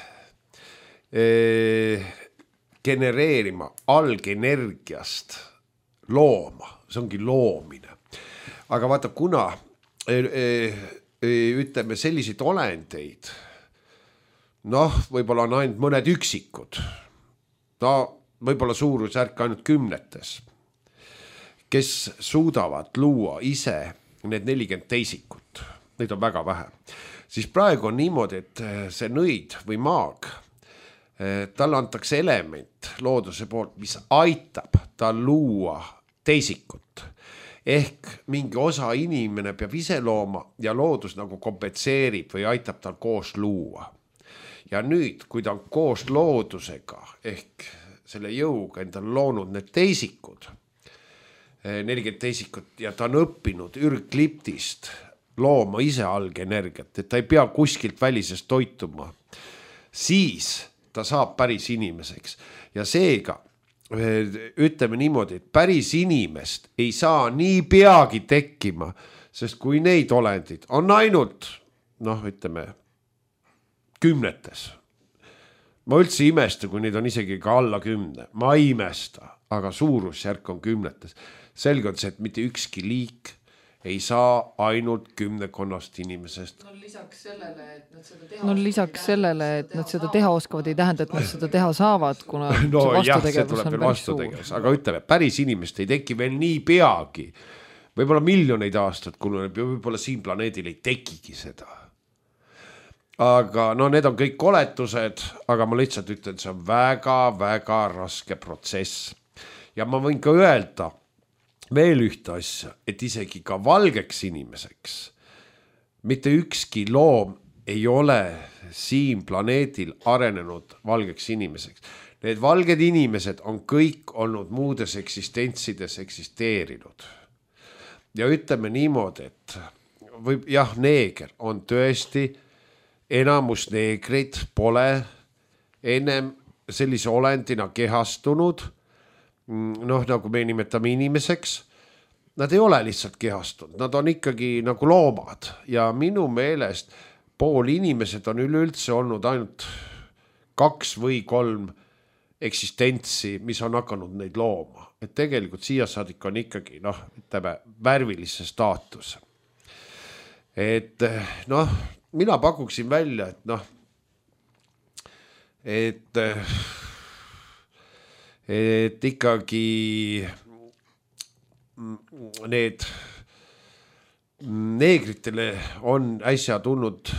eh, genereerima algenergiast looma. See ongi loomine. Aga vaata, kuna eh, eh, ütleme selliseid olendeid, noh, võib-olla on ainult mõned üksikud, no võib-olla suurusjärk ainult kümnetes, kes suudavad luua ise need nelikümmend teisikut, neid on väga vähe. Siis praegu on niimoodi, et see nõid või maag, talle antakse element looduse poolt, mis aitab tal luua teisikut. Ehk mingi osa inimene peab ise looma ja loodus nagu kompenseerib või aitab tal koos luua. Ja nüüd, kui ta on koos loodusega ehk selle jõuga endal loonud need teisikud, nelikümmend teisikut ja ta on õppinud ürgliptist looma ise algenergiat, et ta ei pea kuskilt välisest toituma, siis ta saab päris inimeseks. Ja seega, ütleme niimoodi, et päris inimest ei saa nii peagi tekkima, sest kui neid olendid on ainult, noh, ütleme, kümnetes. Ma üldse imesta, kui neid on isegi ka alla kümne. Ma ei imesta, aga suurusjärk on kümnetes. Selge on see, et mitte ükski liik ei saa ainult kümnekonnast inimesest. No lisaks sellele, et nad seda teha, no, lisaks sellele, et nad seda teha oskavad, ei tähenda, et nad seda teha saavad, kuna no, see jah, see tuleb veel vastutegevus. Aga ütleme, päris inimest ei teki veel nii peagi. Võib-olla miljoneid aastat kuluneb ja võib-olla siin planeedil ei tekigi seda. aga no need on kõik koletused, aga ma lihtsalt ütlen, et see on väga-väga raske protsess. Ja ma võin ka öelda veel ühte asja, et isegi ka valgeks inimeseks mitte ükski loom ei ole siin planeedil arenenud valgeks inimeseks. Need valged inimesed on kõik olnud muudes eksistentsides eksisteerinud. Ja ütleme niimoodi, et võib, jah, neeger on tõesti, enamus neegreid pole ennem sellise olendina kehastunud, noh, nagu me nimetame inimeseks, nad ei ole lihtsalt kehastunud, nad on ikkagi nagu loomad ja minu meelest pool inimesed on üleüldse olnud ainult kaks või kolm eksistentsi, mis on hakanud neid looma. Et tegelikult siia saadik on ikkagi, noh, ütleme, värvilise staatus. Et noh, mina pakuksin välja, et noh, et, et ikkagi need neegritele on äsja tulnud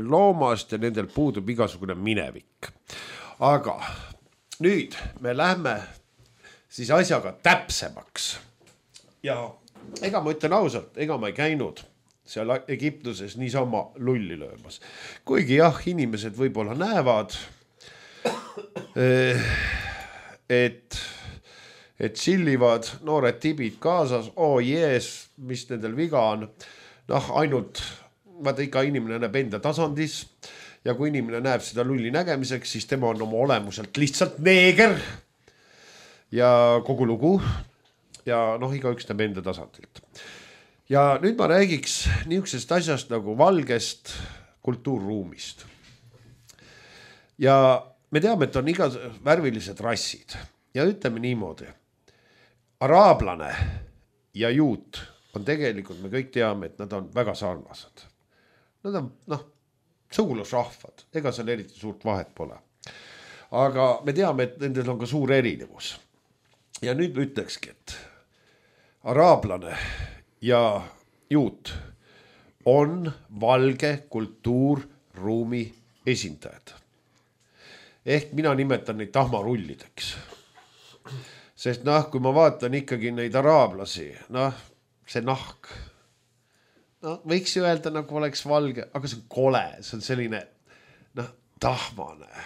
loomast ja nendel puudub igasugune minevik. Aga nüüd me lähme siis asjaga täpsemaks. Ja ega ma ütlen ausalt, ega ma ei käinud seal Egiptuses niisama lulli löömas. Kuigi jah, inimesed võib-olla näevad, et, et sillivad noored tibid kaasas, oo oh jees, mis nendel viga on. Noh, ainult, vaata ikka inimene näeb enda tasandis ja kui inimene näeb seda lulli nägemiseks, siis tema on oma olemuselt lihtsalt neeger ja kogu lugu ja noh, iga üks näeb enda tasandilt. Ja nüüd ma räägiks niisugusest asjast nagu valgest kultuurruumist. Ja me teame, et on iga värvilised rassid ja ütleme niimoodi. Araablane ja juut on tegelikult, me kõik teame, et nad on väga sarnased. Nad on, noh, sugulusrahvad, ega seal eriti suurt vahet pole. Aga me teame, et nendel on ka suur erinevus. Ja nüüd me ütlekski, et araablane ja juut on valge kultuurruumi esindajad. Ehk mina nimetan neid tahmarullideks. Sest noh, kui ma vaatan ikkagi neid araablasi, noh, see nahk, no võiks ju öelda, nagu oleks valge, aga see on kole, see on selline, noh, tahmane.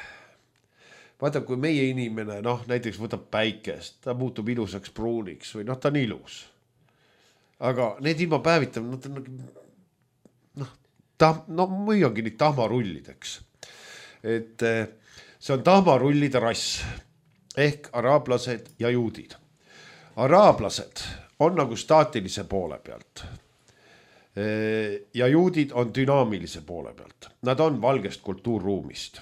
Vaata, kui meie inimene, noh, näiteks võtab päikest, ta muutub ilusaks pruuniks või noh, ta on ilus. Aga need ilma päevitab, nad on noh, tah, no müüangi neid tahmarullideks. Et see on tahmarullide rass ehk araablased ja juudid. Araablased on nagu staatilise poole pealt ja juudid on dünaamilise poole pealt. Nad on valgest kultuurruumist.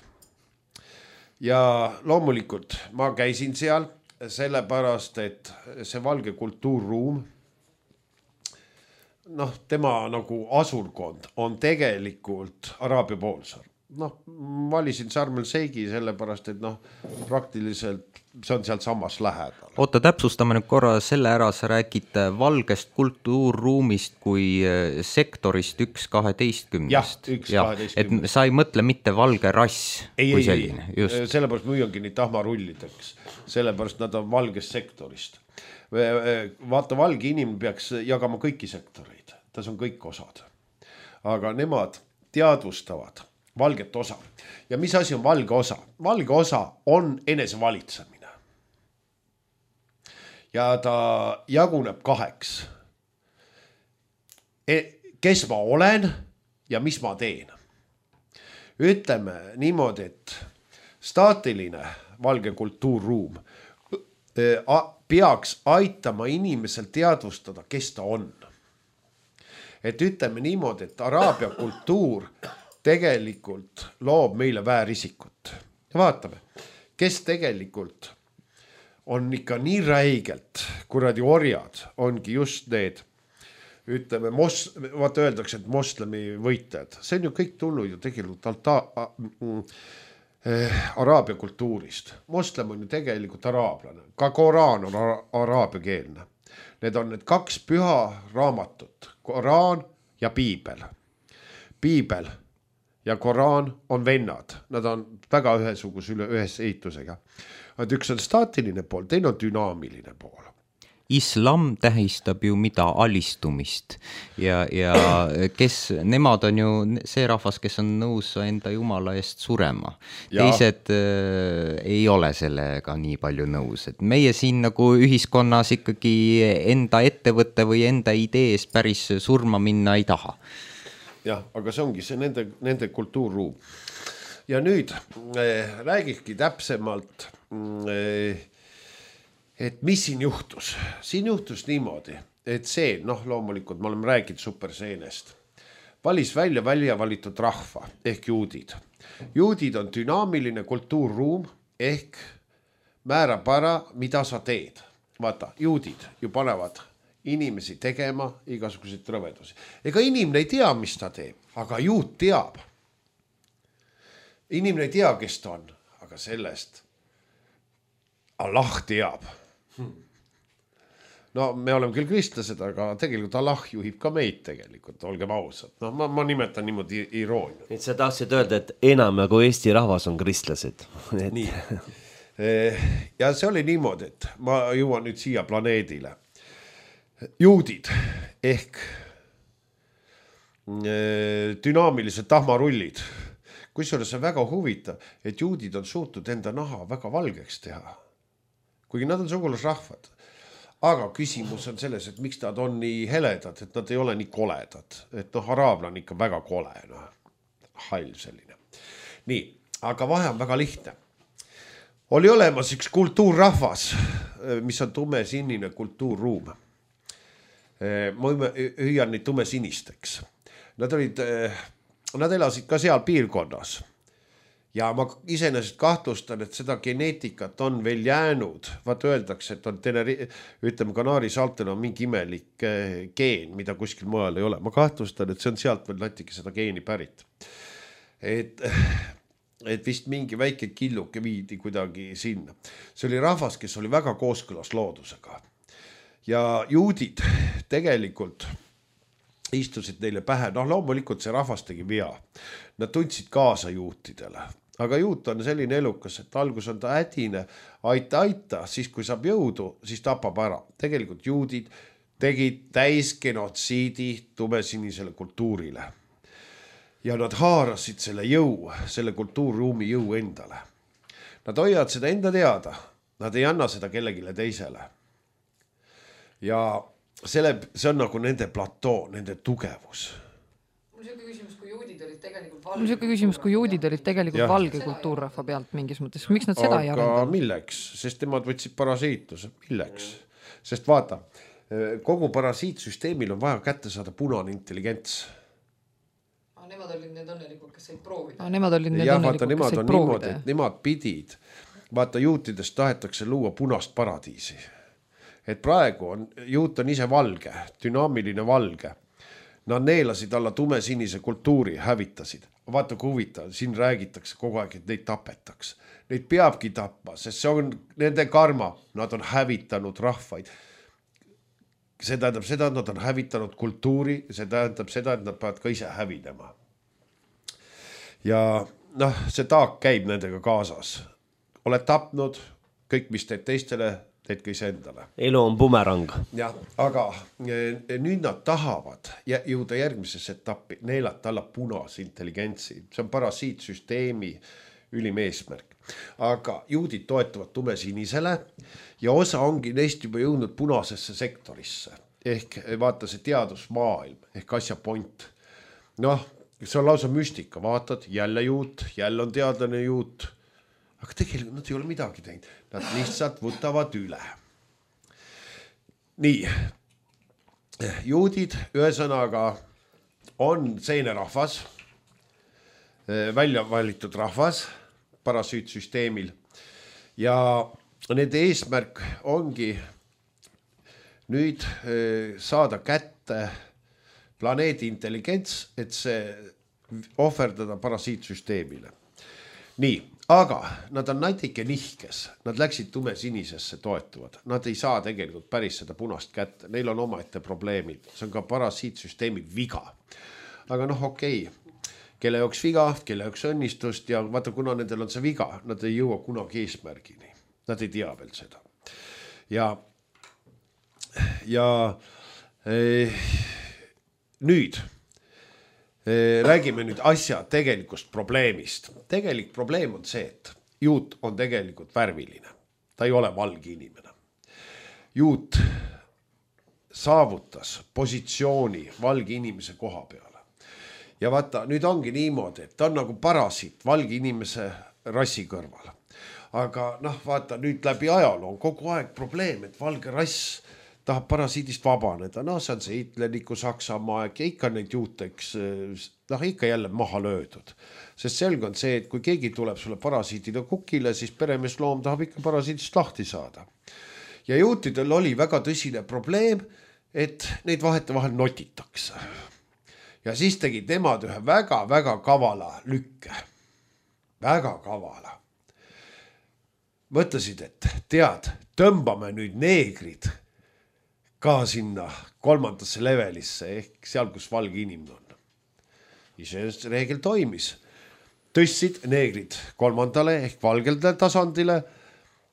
Ja loomulikult ma käisin seal sellepärast, et see valge kultuurruum, noh, tema nagu asurkond on tegelikult Araabia poolsaar. Noh, valisin Sharm el Sheikhi sellepärast, et noh, praktiliselt see on sealt samas lähedal. Oota, täpsustame nüüd korra selle ära, sa räägid valgest kultuurruumist kui sektorist üks kaheteistkümnest. Jah, üks kaheteistkümnest. Et sa ei mõtle mitte valge rass ei, kui ei, selline. Ei, just. Sellepärast müüangi neid tahmarullideks, sellepärast nad on valgest sektorist. Vaata, valge inimene peaks jagama kõiki sektoreid, tas on kõik osad. Aga nemad teadvustavad valget osa. Ja mis asi on valge osa? Valge osa on enesevalitsemine. Ja ta jaguneb kaheks. Kes ma olen ja mis ma teen. Ütleme niimoodi, et staatiline valge kultuurruum peaks aitama inimesel teadvustada, kes ta on. Et ütleme niimoodi, et araabia kultuur tegelikult loob meile väärisikut. Ja vaatame, kes tegelikult on ikka nii räigelt, kuradi orjad, ongi just need, ütleme, mos, vaata öeldakse, et moslemi võitlejad. See on ju kõik tulnud ju tegelikult alta, äh, araabia kultuurist. Moslem on ju tegelikult araablane. Ka Koraan on ara, araabia keelne. Need on need kaks püha raamatut. Koraan ja piibel. Piibel ja Koraan on vennad, nad on väga ühesuguse üle ühes ehitusega. Et üks on staatiline pool, teine on dünaamiline pool. Islam tähistab ju mida alistumist ja, ja kes, nemad on ju see rahvas, kes on nõus enda jumala eest surema. Ja. Teised äh, ei ole sellega nii palju nõus, et meie siin nagu ühiskonnas ikkagi enda ettevõtte või enda idees päris surma minna ei taha. Jah, aga see ongi see nende, nende kultuurruum. Ja nüüd äh, räägikski täpsemalt, äh, et mis siin juhtus. Siin juhtus niimoodi, et see, noh loomulikult me oleme rääginud superseenest, valis välja välja valitud rahva ehk juudid. Juudid on dünaamiline kultuurruum ehk määrab ära, mida sa teed. Vaata, juudid ju panevad inimesi tegema igasuguseid rõvedusi. Ega inimene ei tea, mis ta teeb, aga juut teab. Inimene ei tea, kes ta on, aga sellest Allah teab. No me oleme küll kristlased, aga tegelikult Allah juhib ka meid tegelikult, olgem ausad. No ma, ma nimetan niimoodi iroonia. Et sa tahtsid öelda, et enam nagu Eesti rahvas on kristlased. Et... Nii. Ja see oli niimoodi, et ma jõuan nüüd siia planeedile. Juudid ehk dünaamilised tahmarullid. Kusjuures on väga huvitav, et juudid on suutnud enda naha väga valgeks teha. Kuigi nad on sugulasrahvad. Aga küsimus on selles, et miks nad on nii heledad, et nad ei ole nii koledad. Et noh, araabla on ikka väga kole, noh, hall selline. Nii, aga vahe on väga lihtne. Oli olemas üks kultuurrahvas, mis on tumesinine kultuurruum. Ma hüüan neid tumesinisteks. Nad olid, nad elasid ka seal piirkonnas. Ja ma iseenesest kahtlustan, et seda geneetikat on veel jäänud. Vaata öeldakse, et on teneri, ütleme, Kanaari saartel on mingi imelik geen, mida kuskil mujal ei ole. Ma kahtlustan, et see on sealt veel natuke seda geeni pärit. Et, et vist mingi väike killuke viidi kuidagi sinna. See oli rahvas, kes oli väga kooskõlas loodusega. Ja juudid tegelikult istusid neile pähe. Noh, loomulikult see rahvas tegi vea. Nad tundsid kaasa juutidele. Aga juut on selline elukas, et algus on ta hädine, aita, aita, siis kui saab jõudu, siis tapab ära. Tegelikult juudid tegid täisgenotsiidi tumesinisele kultuurile. Ja nad haarasid selle jõu, selle kultuurruumi jõu endale. Nad hoiavad seda enda teada. Nad ei anna seda kellegile teisele. Ja selle, see on nagu nende platoo, nende tugevus. Mul on selline küsimus, kui juudid olid tegelikult valge, Mul on selline küsimus, kui juudid olid tegelikult ja. valge kultuurrahva pealt mingis mõttes. Miks nad seda aga ei arendanud? Aga milleks? Sest nemad võtsid parasiitluse. Milleks? Sest vaata, kogu parasiitsüsteemil on vaja kätte saada punane intelligents. Ah, nemad olid need õnnelikud, kes said proovida. Ah, nemad olid need ja, õnnelikud, vaata, kes said on proovida. Niimoodi, et nemad pidid. Vaata, juutidest tahetakse luua punast paradiisi. Et praegu on, juut on ise valge, dünaamiline valge. Nad neelasid alla tumesinise kultuuri, hävitasid. Vaata kui huvitav, siin räägitakse kogu aeg, et neid tapetaks. Neid peabki tapma, sest see on nende karma. Nad on hävitanud rahvaid. See tähendab seda, et nad on hävitanud kultuuri. See tähendab seda, et nad peavad ka ise hävidema. Ja noh, see taak käib nendega kaasas. Oled tapnud, kõik mis teed teistele, teed ka ise endale. Elu on bumerang. Ja, aga nüüd nad tahavad jõuda järgmisesse etappi, neelata alla punase intelligentsi. See on parasiitsüsteemi ülim eesmärk. Aga juudid toetuvad tumesinisele ja osa ongi neist juba jõudnud punasesse sektorisse. Ehk vaata see teadusmaailm, ehk asja point. Noh, see on lausa müstika. Vaatad, jälle juut, jälle on teadlane juut. Aga tegelikult nad ei ole midagi teinud. Nad lihtsalt võtavad üle. Nii, juudid ühesõnaga on seene rahvas, välja valitud rahvas parasiitsüsteemil ja nende eesmärk ongi nüüd saada kätte planeedi intelligents, et see ohverdada parasiitsüsteemile. Nii, aga nad on natuke nihkes, nad läksid tumesinisesse toetuvad, nad ei saa tegelikult päris seda punast kätte, neil on omaette probleemid, see on ka parasiitsüsteemi viga. Aga noh, okei, kelle jaoks viga, kelle jaoks õnnistust ja vaata, kuna nendel on see viga, nad ei jõua kunagi eesmärgini. Nad ei tea veel seda. Ja, ja eh, nüüd eh, räägime nüüd asja tegelikust probleemist. Tegelik probleem on see, et juut on tegelikult värviline. Ta ei ole valge inimene. Juut saavutas positsiooni valge inimese koha peale. Ja vaata, nüüd ongi niimoodi, et ta on nagu parasiit valge inimese rassi kõrval. Aga noh, vaata, nüüd läbi ajaloo on kogu aeg probleem, et valge rass tahab parasiidist vabaneda. No see on see hitleriku Saksamaa aeg ja ikka neid juuteks, noh ikka jälle maha löödud. Sest selge on see, et kui keegi tuleb sulle parasiidile kukile, siis peremeesloom tahab ikka parasiidist lahti saada. Ja juutidel oli väga tõsine probleem, et neid vahete vahel notitakse. Ja siis tegid nemad ühe väga-väga kavala lükke. Väga kavala. Mõtlesid, et tead, tõmbame nüüd neegrid ka sinna kolmandasse levelisse ehk seal, kus valge inimene on. Iseenesest reegel toimis. Tõstsid neegrid kolmandale ehk valgelde tasandile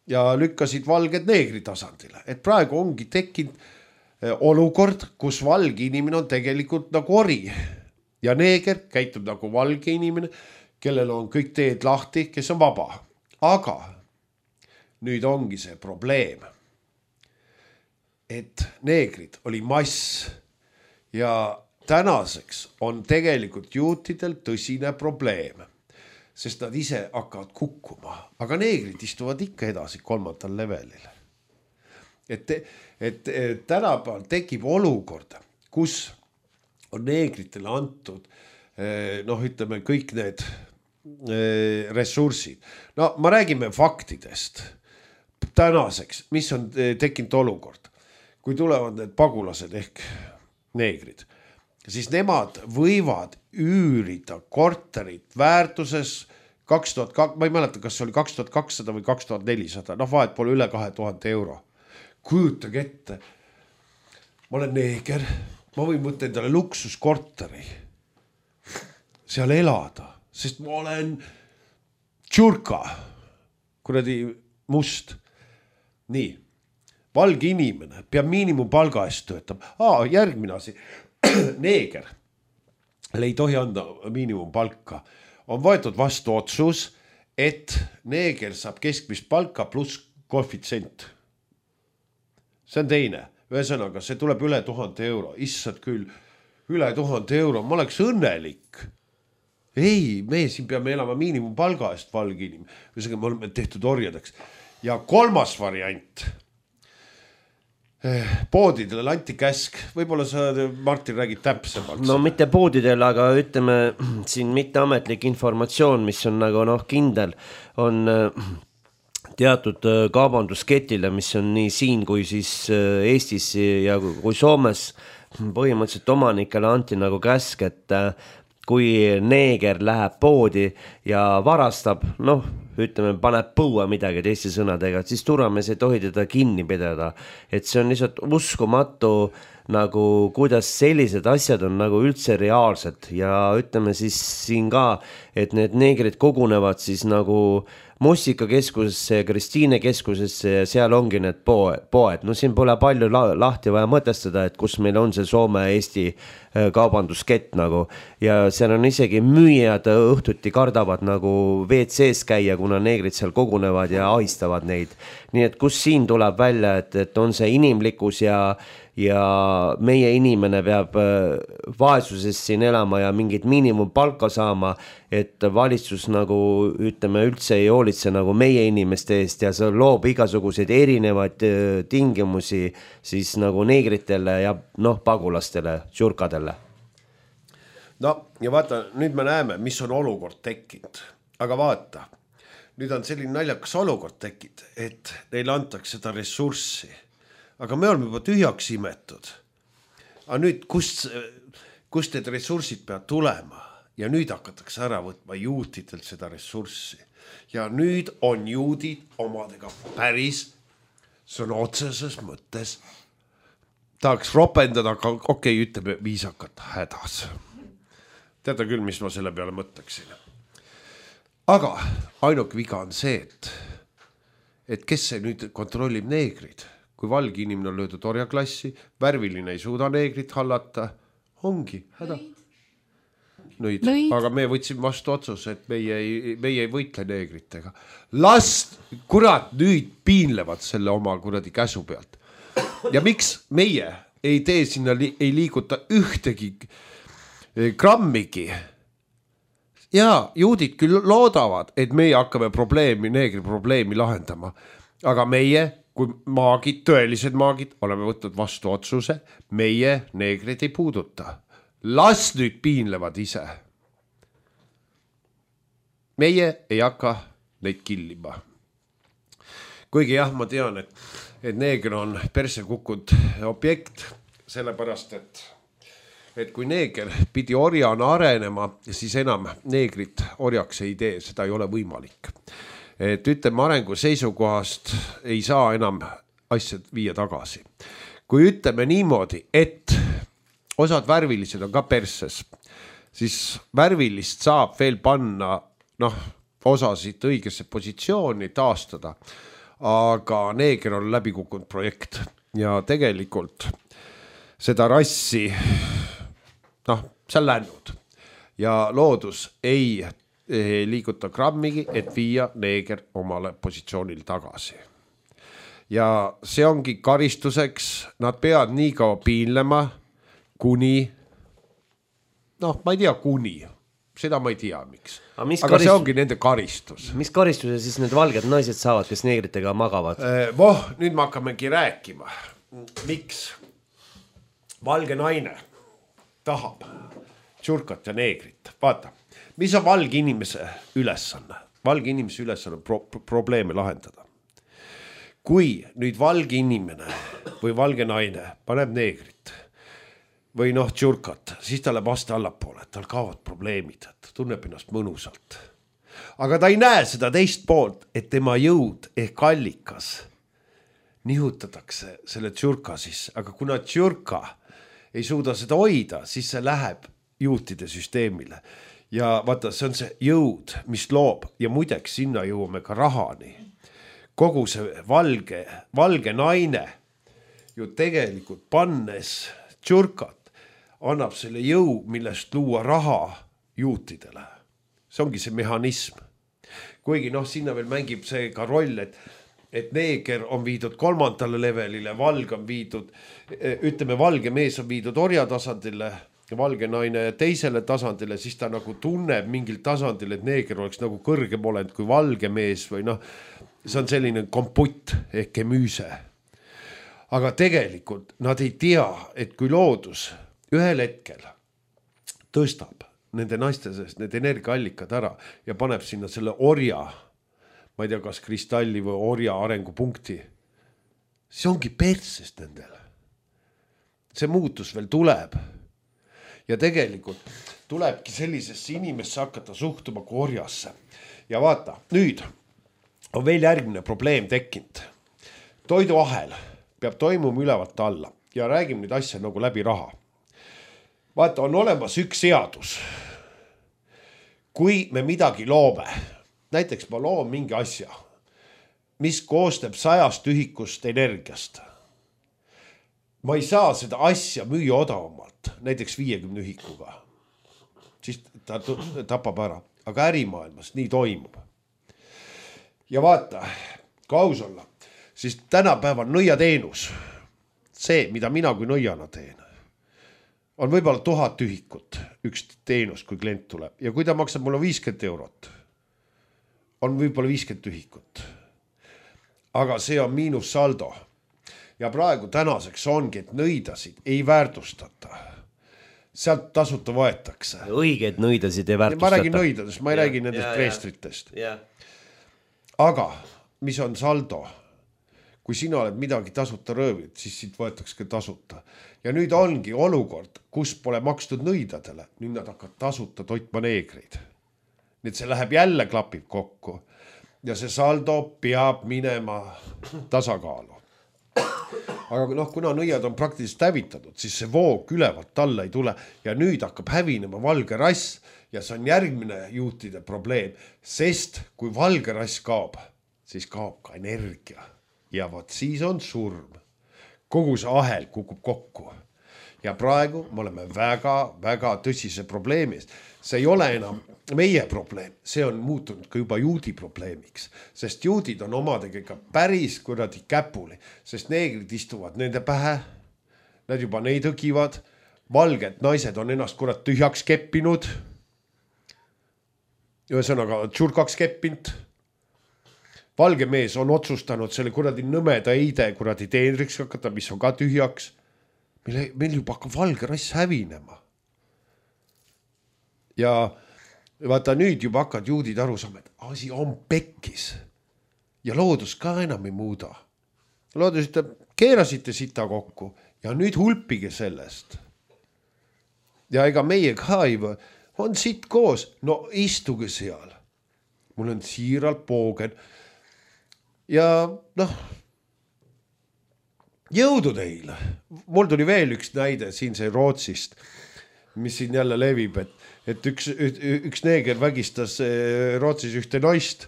ja lükkasid valged neegri tasandile. Et praegu ongi tekkinud olukord, kus valge inimene on tegelikult nagu ori ja neeger käitub nagu valge inimene, kellel on kõik teed lahti, kes on vaba. Aga nüüd ongi see probleem, et neegrid oli mass ja tänaseks on tegelikult juutidel tõsine probleem, sest nad ise hakkavad kukkuma, aga neegrid istuvad ikka edasi kolmandal levelil. Et, et, et tänapäeval tekib olukord, kus on neegritele antud noh, ütleme kõik need ressursid. No ma räägime faktidest tänaseks, mis on tekkinud olukord. Kui tulevad need pagulased ehk neegrid, siis nemad võivad üürida korterit väärtuses kaks tuhat kaks, ma ei mäleta, kas see oli kaks tuhat kakssada või kaks tuhat nelisada, noh vahet pole üle kahe tuhande euro. Kujutage ette, ma olen neeger, ma võin võtta endale luksuskorteri, seal elada, sest ma olen tšurka, kuradi must. Nii, valge inimene peab miinimumpalga eest töötab. Aa, järgmine asi, neeger ei tohi anda miinimumpalka. On võetud vastu otsus, et neeger saab keskmist palka pluss koefitsient. See on teine. Ühesõnaga, see tuleb üle tuhande euro. Issad küll, üle tuhande euro. Ma oleks õnnelik. Ei, me siin peame elama miinimumpalga eest valge inimene. Ühesõnaga, me oleme tehtud orjadeks. Ja kolmas variant. Poodidele anti käsk. Võib-olla sa, Martin, räägid täpsemalt. No mitte poodidele, aga ütleme siin mitteametlik informatsioon, mis on nagu noh kindel, on teatud kaubandusketile, mis on nii siin kui siis Eestis ja kui Soomes põhimõtteliselt omanikele anti nagu käsk, et kui neeger läheb poodi ja varastab, noh, ütleme, paneb põua midagi teiste sõnadega, siis turvamees ei tohi teda kinni pidada. Et see on lihtsalt uskumatu, nagu kuidas sellised asjad on nagu üldse reaalsed ja ütleme siis siin ka, et need neegrid kogunevad siis nagu Mussikakeskusesse ja Kristiine keskusesse ja seal ongi need poed. No siin pole palju lahti vaja mõtestada, et kus meil on see Soome-Eesti kaubanduskett nagu. Ja seal on isegi müüjad õhtuti kardavad nagu V C-s käia, kuna neegrid seal kogunevad ja ahistavad neid. Nii et kus siin tuleb välja, et, et on see inimlikkus ja ja meie inimene peab vaesuses siin elama ja mingit miinimumpalka saama, et valitsus nagu ütleme üldse ei hoolitse nagu meie inimeste eest ja see loob igasuguseid erinevaid tingimusi siis nagu neegritele ja noh pagulastele, tšurkadele. No ja vaata, nüüd me näeme, mis on olukord tekkinud, aga vaata, nüüd on selline naljakas olukord tekkinud, et neile antakse seda ressurssi. Aga me oleme juba tühjaks imetud. Aga nüüd, kust, kust need ressursid peavad tulema? Ja nüüd hakatakse ära võtma juutidelt seda ressurssi. Ja nüüd on juudid omadega päris sõna otseses mõttes. Tahaks ropendada, aga okei, ütleme viisakat hädas. teate küll, mis ma selle peale mõtleksin. Aga ainuke viga on see, et, et kes see nüüd kontrollib neegrid, kui valge inimene on löödud orjaklassi, värviline ei suuda neegrit hallata, ongi häda. Nõid. Aga me võtsime vastu otsuse, et meie ei, meie ei võitle neegritega. Last, kurat, nüüd piinlevad selle oma kuradi käsu pealt. Ja miks meie ei tee sinna, ei liiguta ühtegi grammigi? Ja juudid küll loodavad, et meie hakkame probleemi, neegri probleemi lahendama. Aga meie, kui maagid, tõelised maagid, oleme võtnud vastu otsuse, meie neegrid ei puuduta. Las nüüd piinlevad ise. Meie ei hakka neid killima. Kuigi jah, ma tean, et, et neeger on perse kukkud objekt, sellepärast, et, et kui neeger pidi orjana arenema, siis enam neegrit orjaks ei tee, seda ei ole võimalik. Et ütleme, arengu seisukohast ei saa enam asjad viia tagasi. Kui ütleme niimoodi, et osad värvilised on ka perses, siis värvilist saab veel panna, noh, osasid õigesse positsiooni taastada, aga neeger on läbi kukkunud projekt ja tegelikult seda rassi, noh, see on läinud ja loodus ei, ei liiguta grammigi, et viia neeger omale positsioonil tagasi. Ja see ongi karistuseks, nad peavad nii kaua piinlema, kuni, noh, ma ei tea, kuni, seda ma ei tea, miks. Aga, aga karistus... see ongi nende karistus. Mis karistuse siis need valged naised saavad, kes neegritega magavad? Voh, nüüd me hakkamegi rääkima. Miks valge naine tahab tšurkat ja neegrit? Vaata, mis on valge inimese ülesanne? Valge inimese ülesanne pro- probleeme lahendada. Kui nüüd valge inimene või valge naine paneb neegrit või noh, tšurkat, siis ta läheb aste allapoole, et tal kaovad probleemid, et tunneb ennast mõnusalt. Aga ta ei näe seda teist poolt, et tema jõud ehk allikas nihutatakse selle tšurka sisse, aga kuna tšurka ei suuda seda hoida, siis see läheb juutide süsteemile. Ja vaata, see on see jõud, mis loob ja muideks sinna jõuame ka rahani. Kogu see valge, valge naine ju tegelikult pannes tšurkat, annab selle jõu, millest luua raha juutidele. See ongi see mehhanism. Kuigi noh, sinna veel mängib see ka roll, et, et neeger on viidud kolmandale levelile, valg on viidud, ütleme, valge mees on viidud orja tasandile, valge naine teisele tasandile, siis ta nagu tunneb mingil tasandil, et neeger oleks nagu kõrgem olend kui valge mees või noh, see on selline komputt ehk kemüüse. Aga tegelikult nad ei tea, et kui loodus ühel hetkel tõstab nende naiste seest need energiaallikad ära ja paneb sinna selle orja, ma ei tea, kas kristalli või orja arengupunkti, see ongi persest nendele. See muutus veel tuleb. Ja tegelikult tulebki sellisesse inimesse hakata suhtuma kui orjasse. Ja vaata, nüüd on veel järgmine probleem tekkinud. Toiduahel peab toimuma ülevalt alla ja räägime nüüd asja nagu läbi raha. Vaata, on olemas üks seadus. Kui me midagi loome, näiteks ma loon mingi asja, mis koosneb sajast ühikust energiast. Ma ei saa seda asja müüa odavamalt, näiteks viiekümne ühikuga. Siis ta tapab ära. Aga ärimaailmas nii toimub. Ja vaata, kui aus olla, siis tänapäeval nõiateenus, see, mida mina kui nõiana teen, on võib-olla tuhat ühikut üks teenus, kui klient tuleb. Ja kui ta maksab mulle viiskümmend eurot, on võib-olla viiskümmend ühikut. Aga see on miinus saldo. Ja praegu tänaseks ongi, et nõidasid ei väärtustata. Sealt tasuta võetakse. Õiged nõidasid ei väärtustata. Ma räägin nõidadest, ma ei ja, räägi nendest ja, preestritest. Ja. Aga mis on saldo? Kui sina oled midagi tasuta röövid, siis siit võetakse ka tasuta. Ja nüüd ongi olukord, kus pole makstud nõidadele. Nüüd nad hakkavad tasuta toitma neegreid. Nüüd see läheb jälle klapib kokku. Ja see saldo peab minema tasakaalu. aga noh, kuna nõiad on praktiliselt hävitatud, siis see voog ülevalt alla ei tule ja nüüd hakkab hävinema valge rass ja see on järgmine juutide probleem, sest kui valge rass kaob, siis kaob ka energia ja vot siis on surm. Kogu see ahel kukub kokku ja praegu me oleme väga-väga tõsise probleemis. See ei ole enam meie probleem, see on muutunud ka juba juudi probleemiks, sest juudid on omadega ikka päris kuradi käpuli, sest neegrid istuvad nende pähe, nad juba neid õgivad, valged naised on ennast kurat tühjaks keppinud, ühesõnaga tšurkaks keppinud, valge mees on otsustanud selle kuradi nõmeda eide kuradi teenriks hakata, mis on ka tühjaks, meil, meil juba hakkab valge rass hävinema. Ja vaata nüüd juba hakkad juudid aru saama, et asi on pekkis ja loodus ka enam ei muuda. Loodus ütleb, keerasite sita kokku ja nüüd hulpige sellest. Ja ega meie ka ei või, on siit koos, no istuge seal. Mul on siiralt poogen ja noh, jõudu teile. Mul tuli veel üks näide siin see Rootsist, mis siin jälle levib, et et üks, üks neeger vägistas Rootsis ühte naist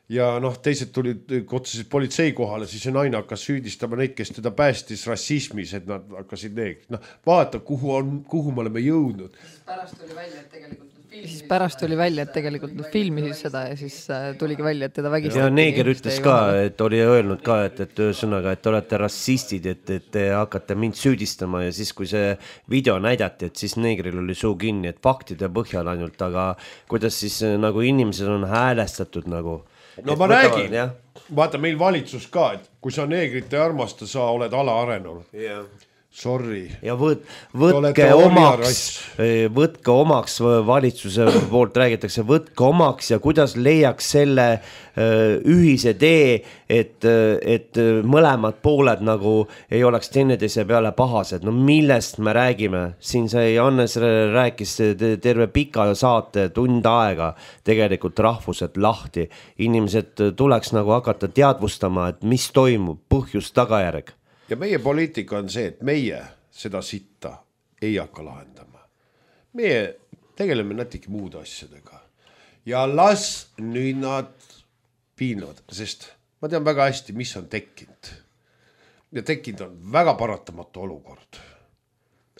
ja noh, teised tulid otseselt politsei kohale, siis see naine hakkas süüdistama neid, kes teda päästis rassismis, et nad hakkasid neegrid. No, vaata, kuhu, on, kuhu me oleme jõudnud. Pärast tuli välja, et tegelikult siis pärast tuli välja, et tegelikult nad filmisid seda ja siis tuligi välja, et teda vägistati. Ja neeger ütles ka, et oli öelnud ka, et, et ühesõnaga, et te olete rassistid, et, et te hakkate mind süüdistama ja siis, kui see video näidati, et siis neegril oli suu kinni, et faktide põhjal ainult, aga kuidas siis nagu inimesed on häälestatud nagu. No ma räägin, vaata meil valitsus ka, et kui sa neegrit ei armasta, sa oled alaarenenud. Jah. Sorry. Ja võt, võtke omaks, võtke omaks valitsuse poolt räägitakse, võtke omaks ja kuidas leiaks selle ühise tee, et, et mõlemad pooled nagu ei oleks teineteise peale pahased. No millest me räägime? Siin sai Hannes rääkis terve pika saate tund aega tegelikult rahvused lahti. Inimesed tuleks nagu hakata teadvustama, et mis toimub, põhjus tagajärg. Ja meie poliitika on see, et meie seda sitta ei hakka lahendama. Meie tegeleme natuke muud asjadega. Ja las nüüd nad piinlevad, sest ma tean väga hästi, mis on tekkinud. Ja tekkinud on väga paratamatu olukord.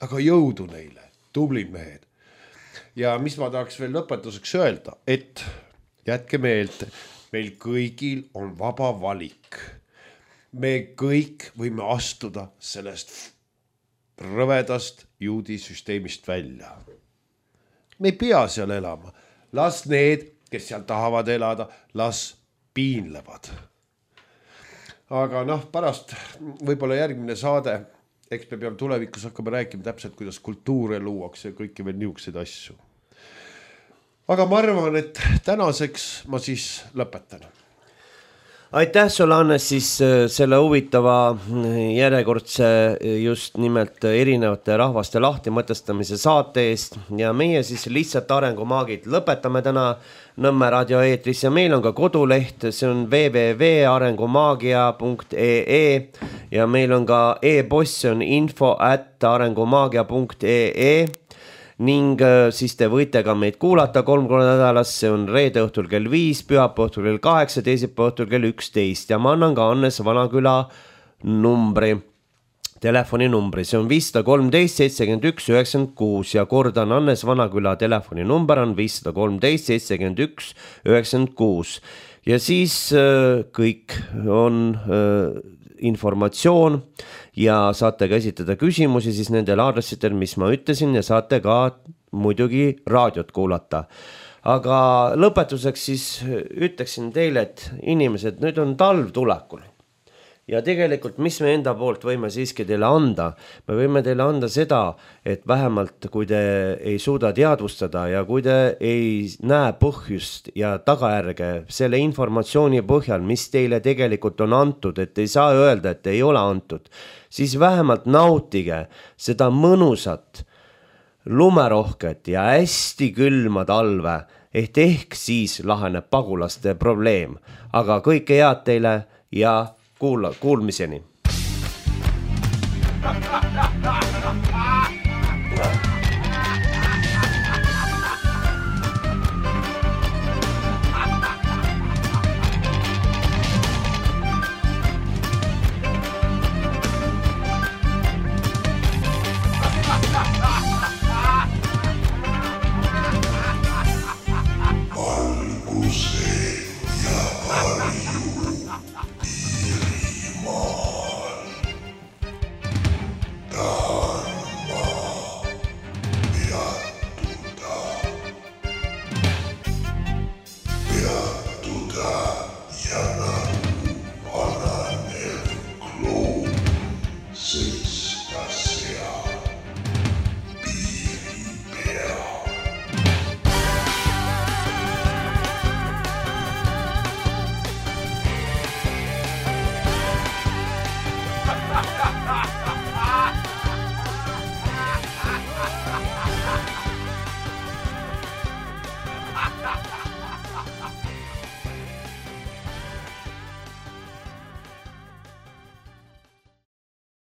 Aga jõudu neile, tublid mehed. Ja mis ma tahaks veel lõpetuseks öelda, et jätke meelde, meil kõigil on vaba valik. Me kõik võime astuda sellest rõvedast juudi süsteemist välja. Me ei pea seal elama. Las need, kes seal tahavad elada, las piinlevad. Aga noh, pärast võib-olla järgmine saade, eks me peame tulevikus hakkama rääkima täpselt, kuidas kultuure luuakse ja kõiki veel niisuguseid asju. Aga ma arvan, et tänaseks ma siis lõpetan. Aitäh sulle, Hannes, siis selle huvitava järjekordse just nimelt erinevate rahvaste lahti mõtestamise saate eest ja meie siis lihtsalt arengumaagid lõpetame täna Nõmme raadio eetris ja meil on ka koduleht, see on w w w punkt arengumaagia punkt e e ja meil on ka e-post, see on info at arengumaagia punkt e e ning siis te võite ka meid kuulata kolm korda nädalas, see on reede õhtul kell viis, pühapäeva õhtul kell kaheksa, teisipäeva õhtul kell üksteist ja ma annan ka Hannes Vanaküla numbri, telefoninumbri, see on viis kolmteist seitsekümmend üks üheksakümmend kuus ja kordan, Hannes Vanaküla telefoninumber on viis kolmteist seitsekümmend üks üheksakümmend kuus ja siis äh, kõik on äh, informatsioon ja saate ka esitada küsimusi siis nendel aadressidel, mis ma ütlesin ja saate ka muidugi raadiot kuulata. Aga lõpetuseks siis ütleksin teile, et inimesed, nüüd on talv tulekul. Ja tegelikult, mis me enda poolt võime siiski teile anda? Me võime teile anda seda, et vähemalt kui te ei suuda teadvustada ja kui te ei näe põhjust ja tagajärge selle informatsiooni põhjal, mis teile tegelikult on antud, et ei saa öelda, et ei ole antud, siis vähemalt nautige seda mõnusat, lumerohket ja hästi külma talve, et ehk siis laheneb pagulaste probleem. Aga kõike head teile ja Kuula, kuulmiseni. Tšau.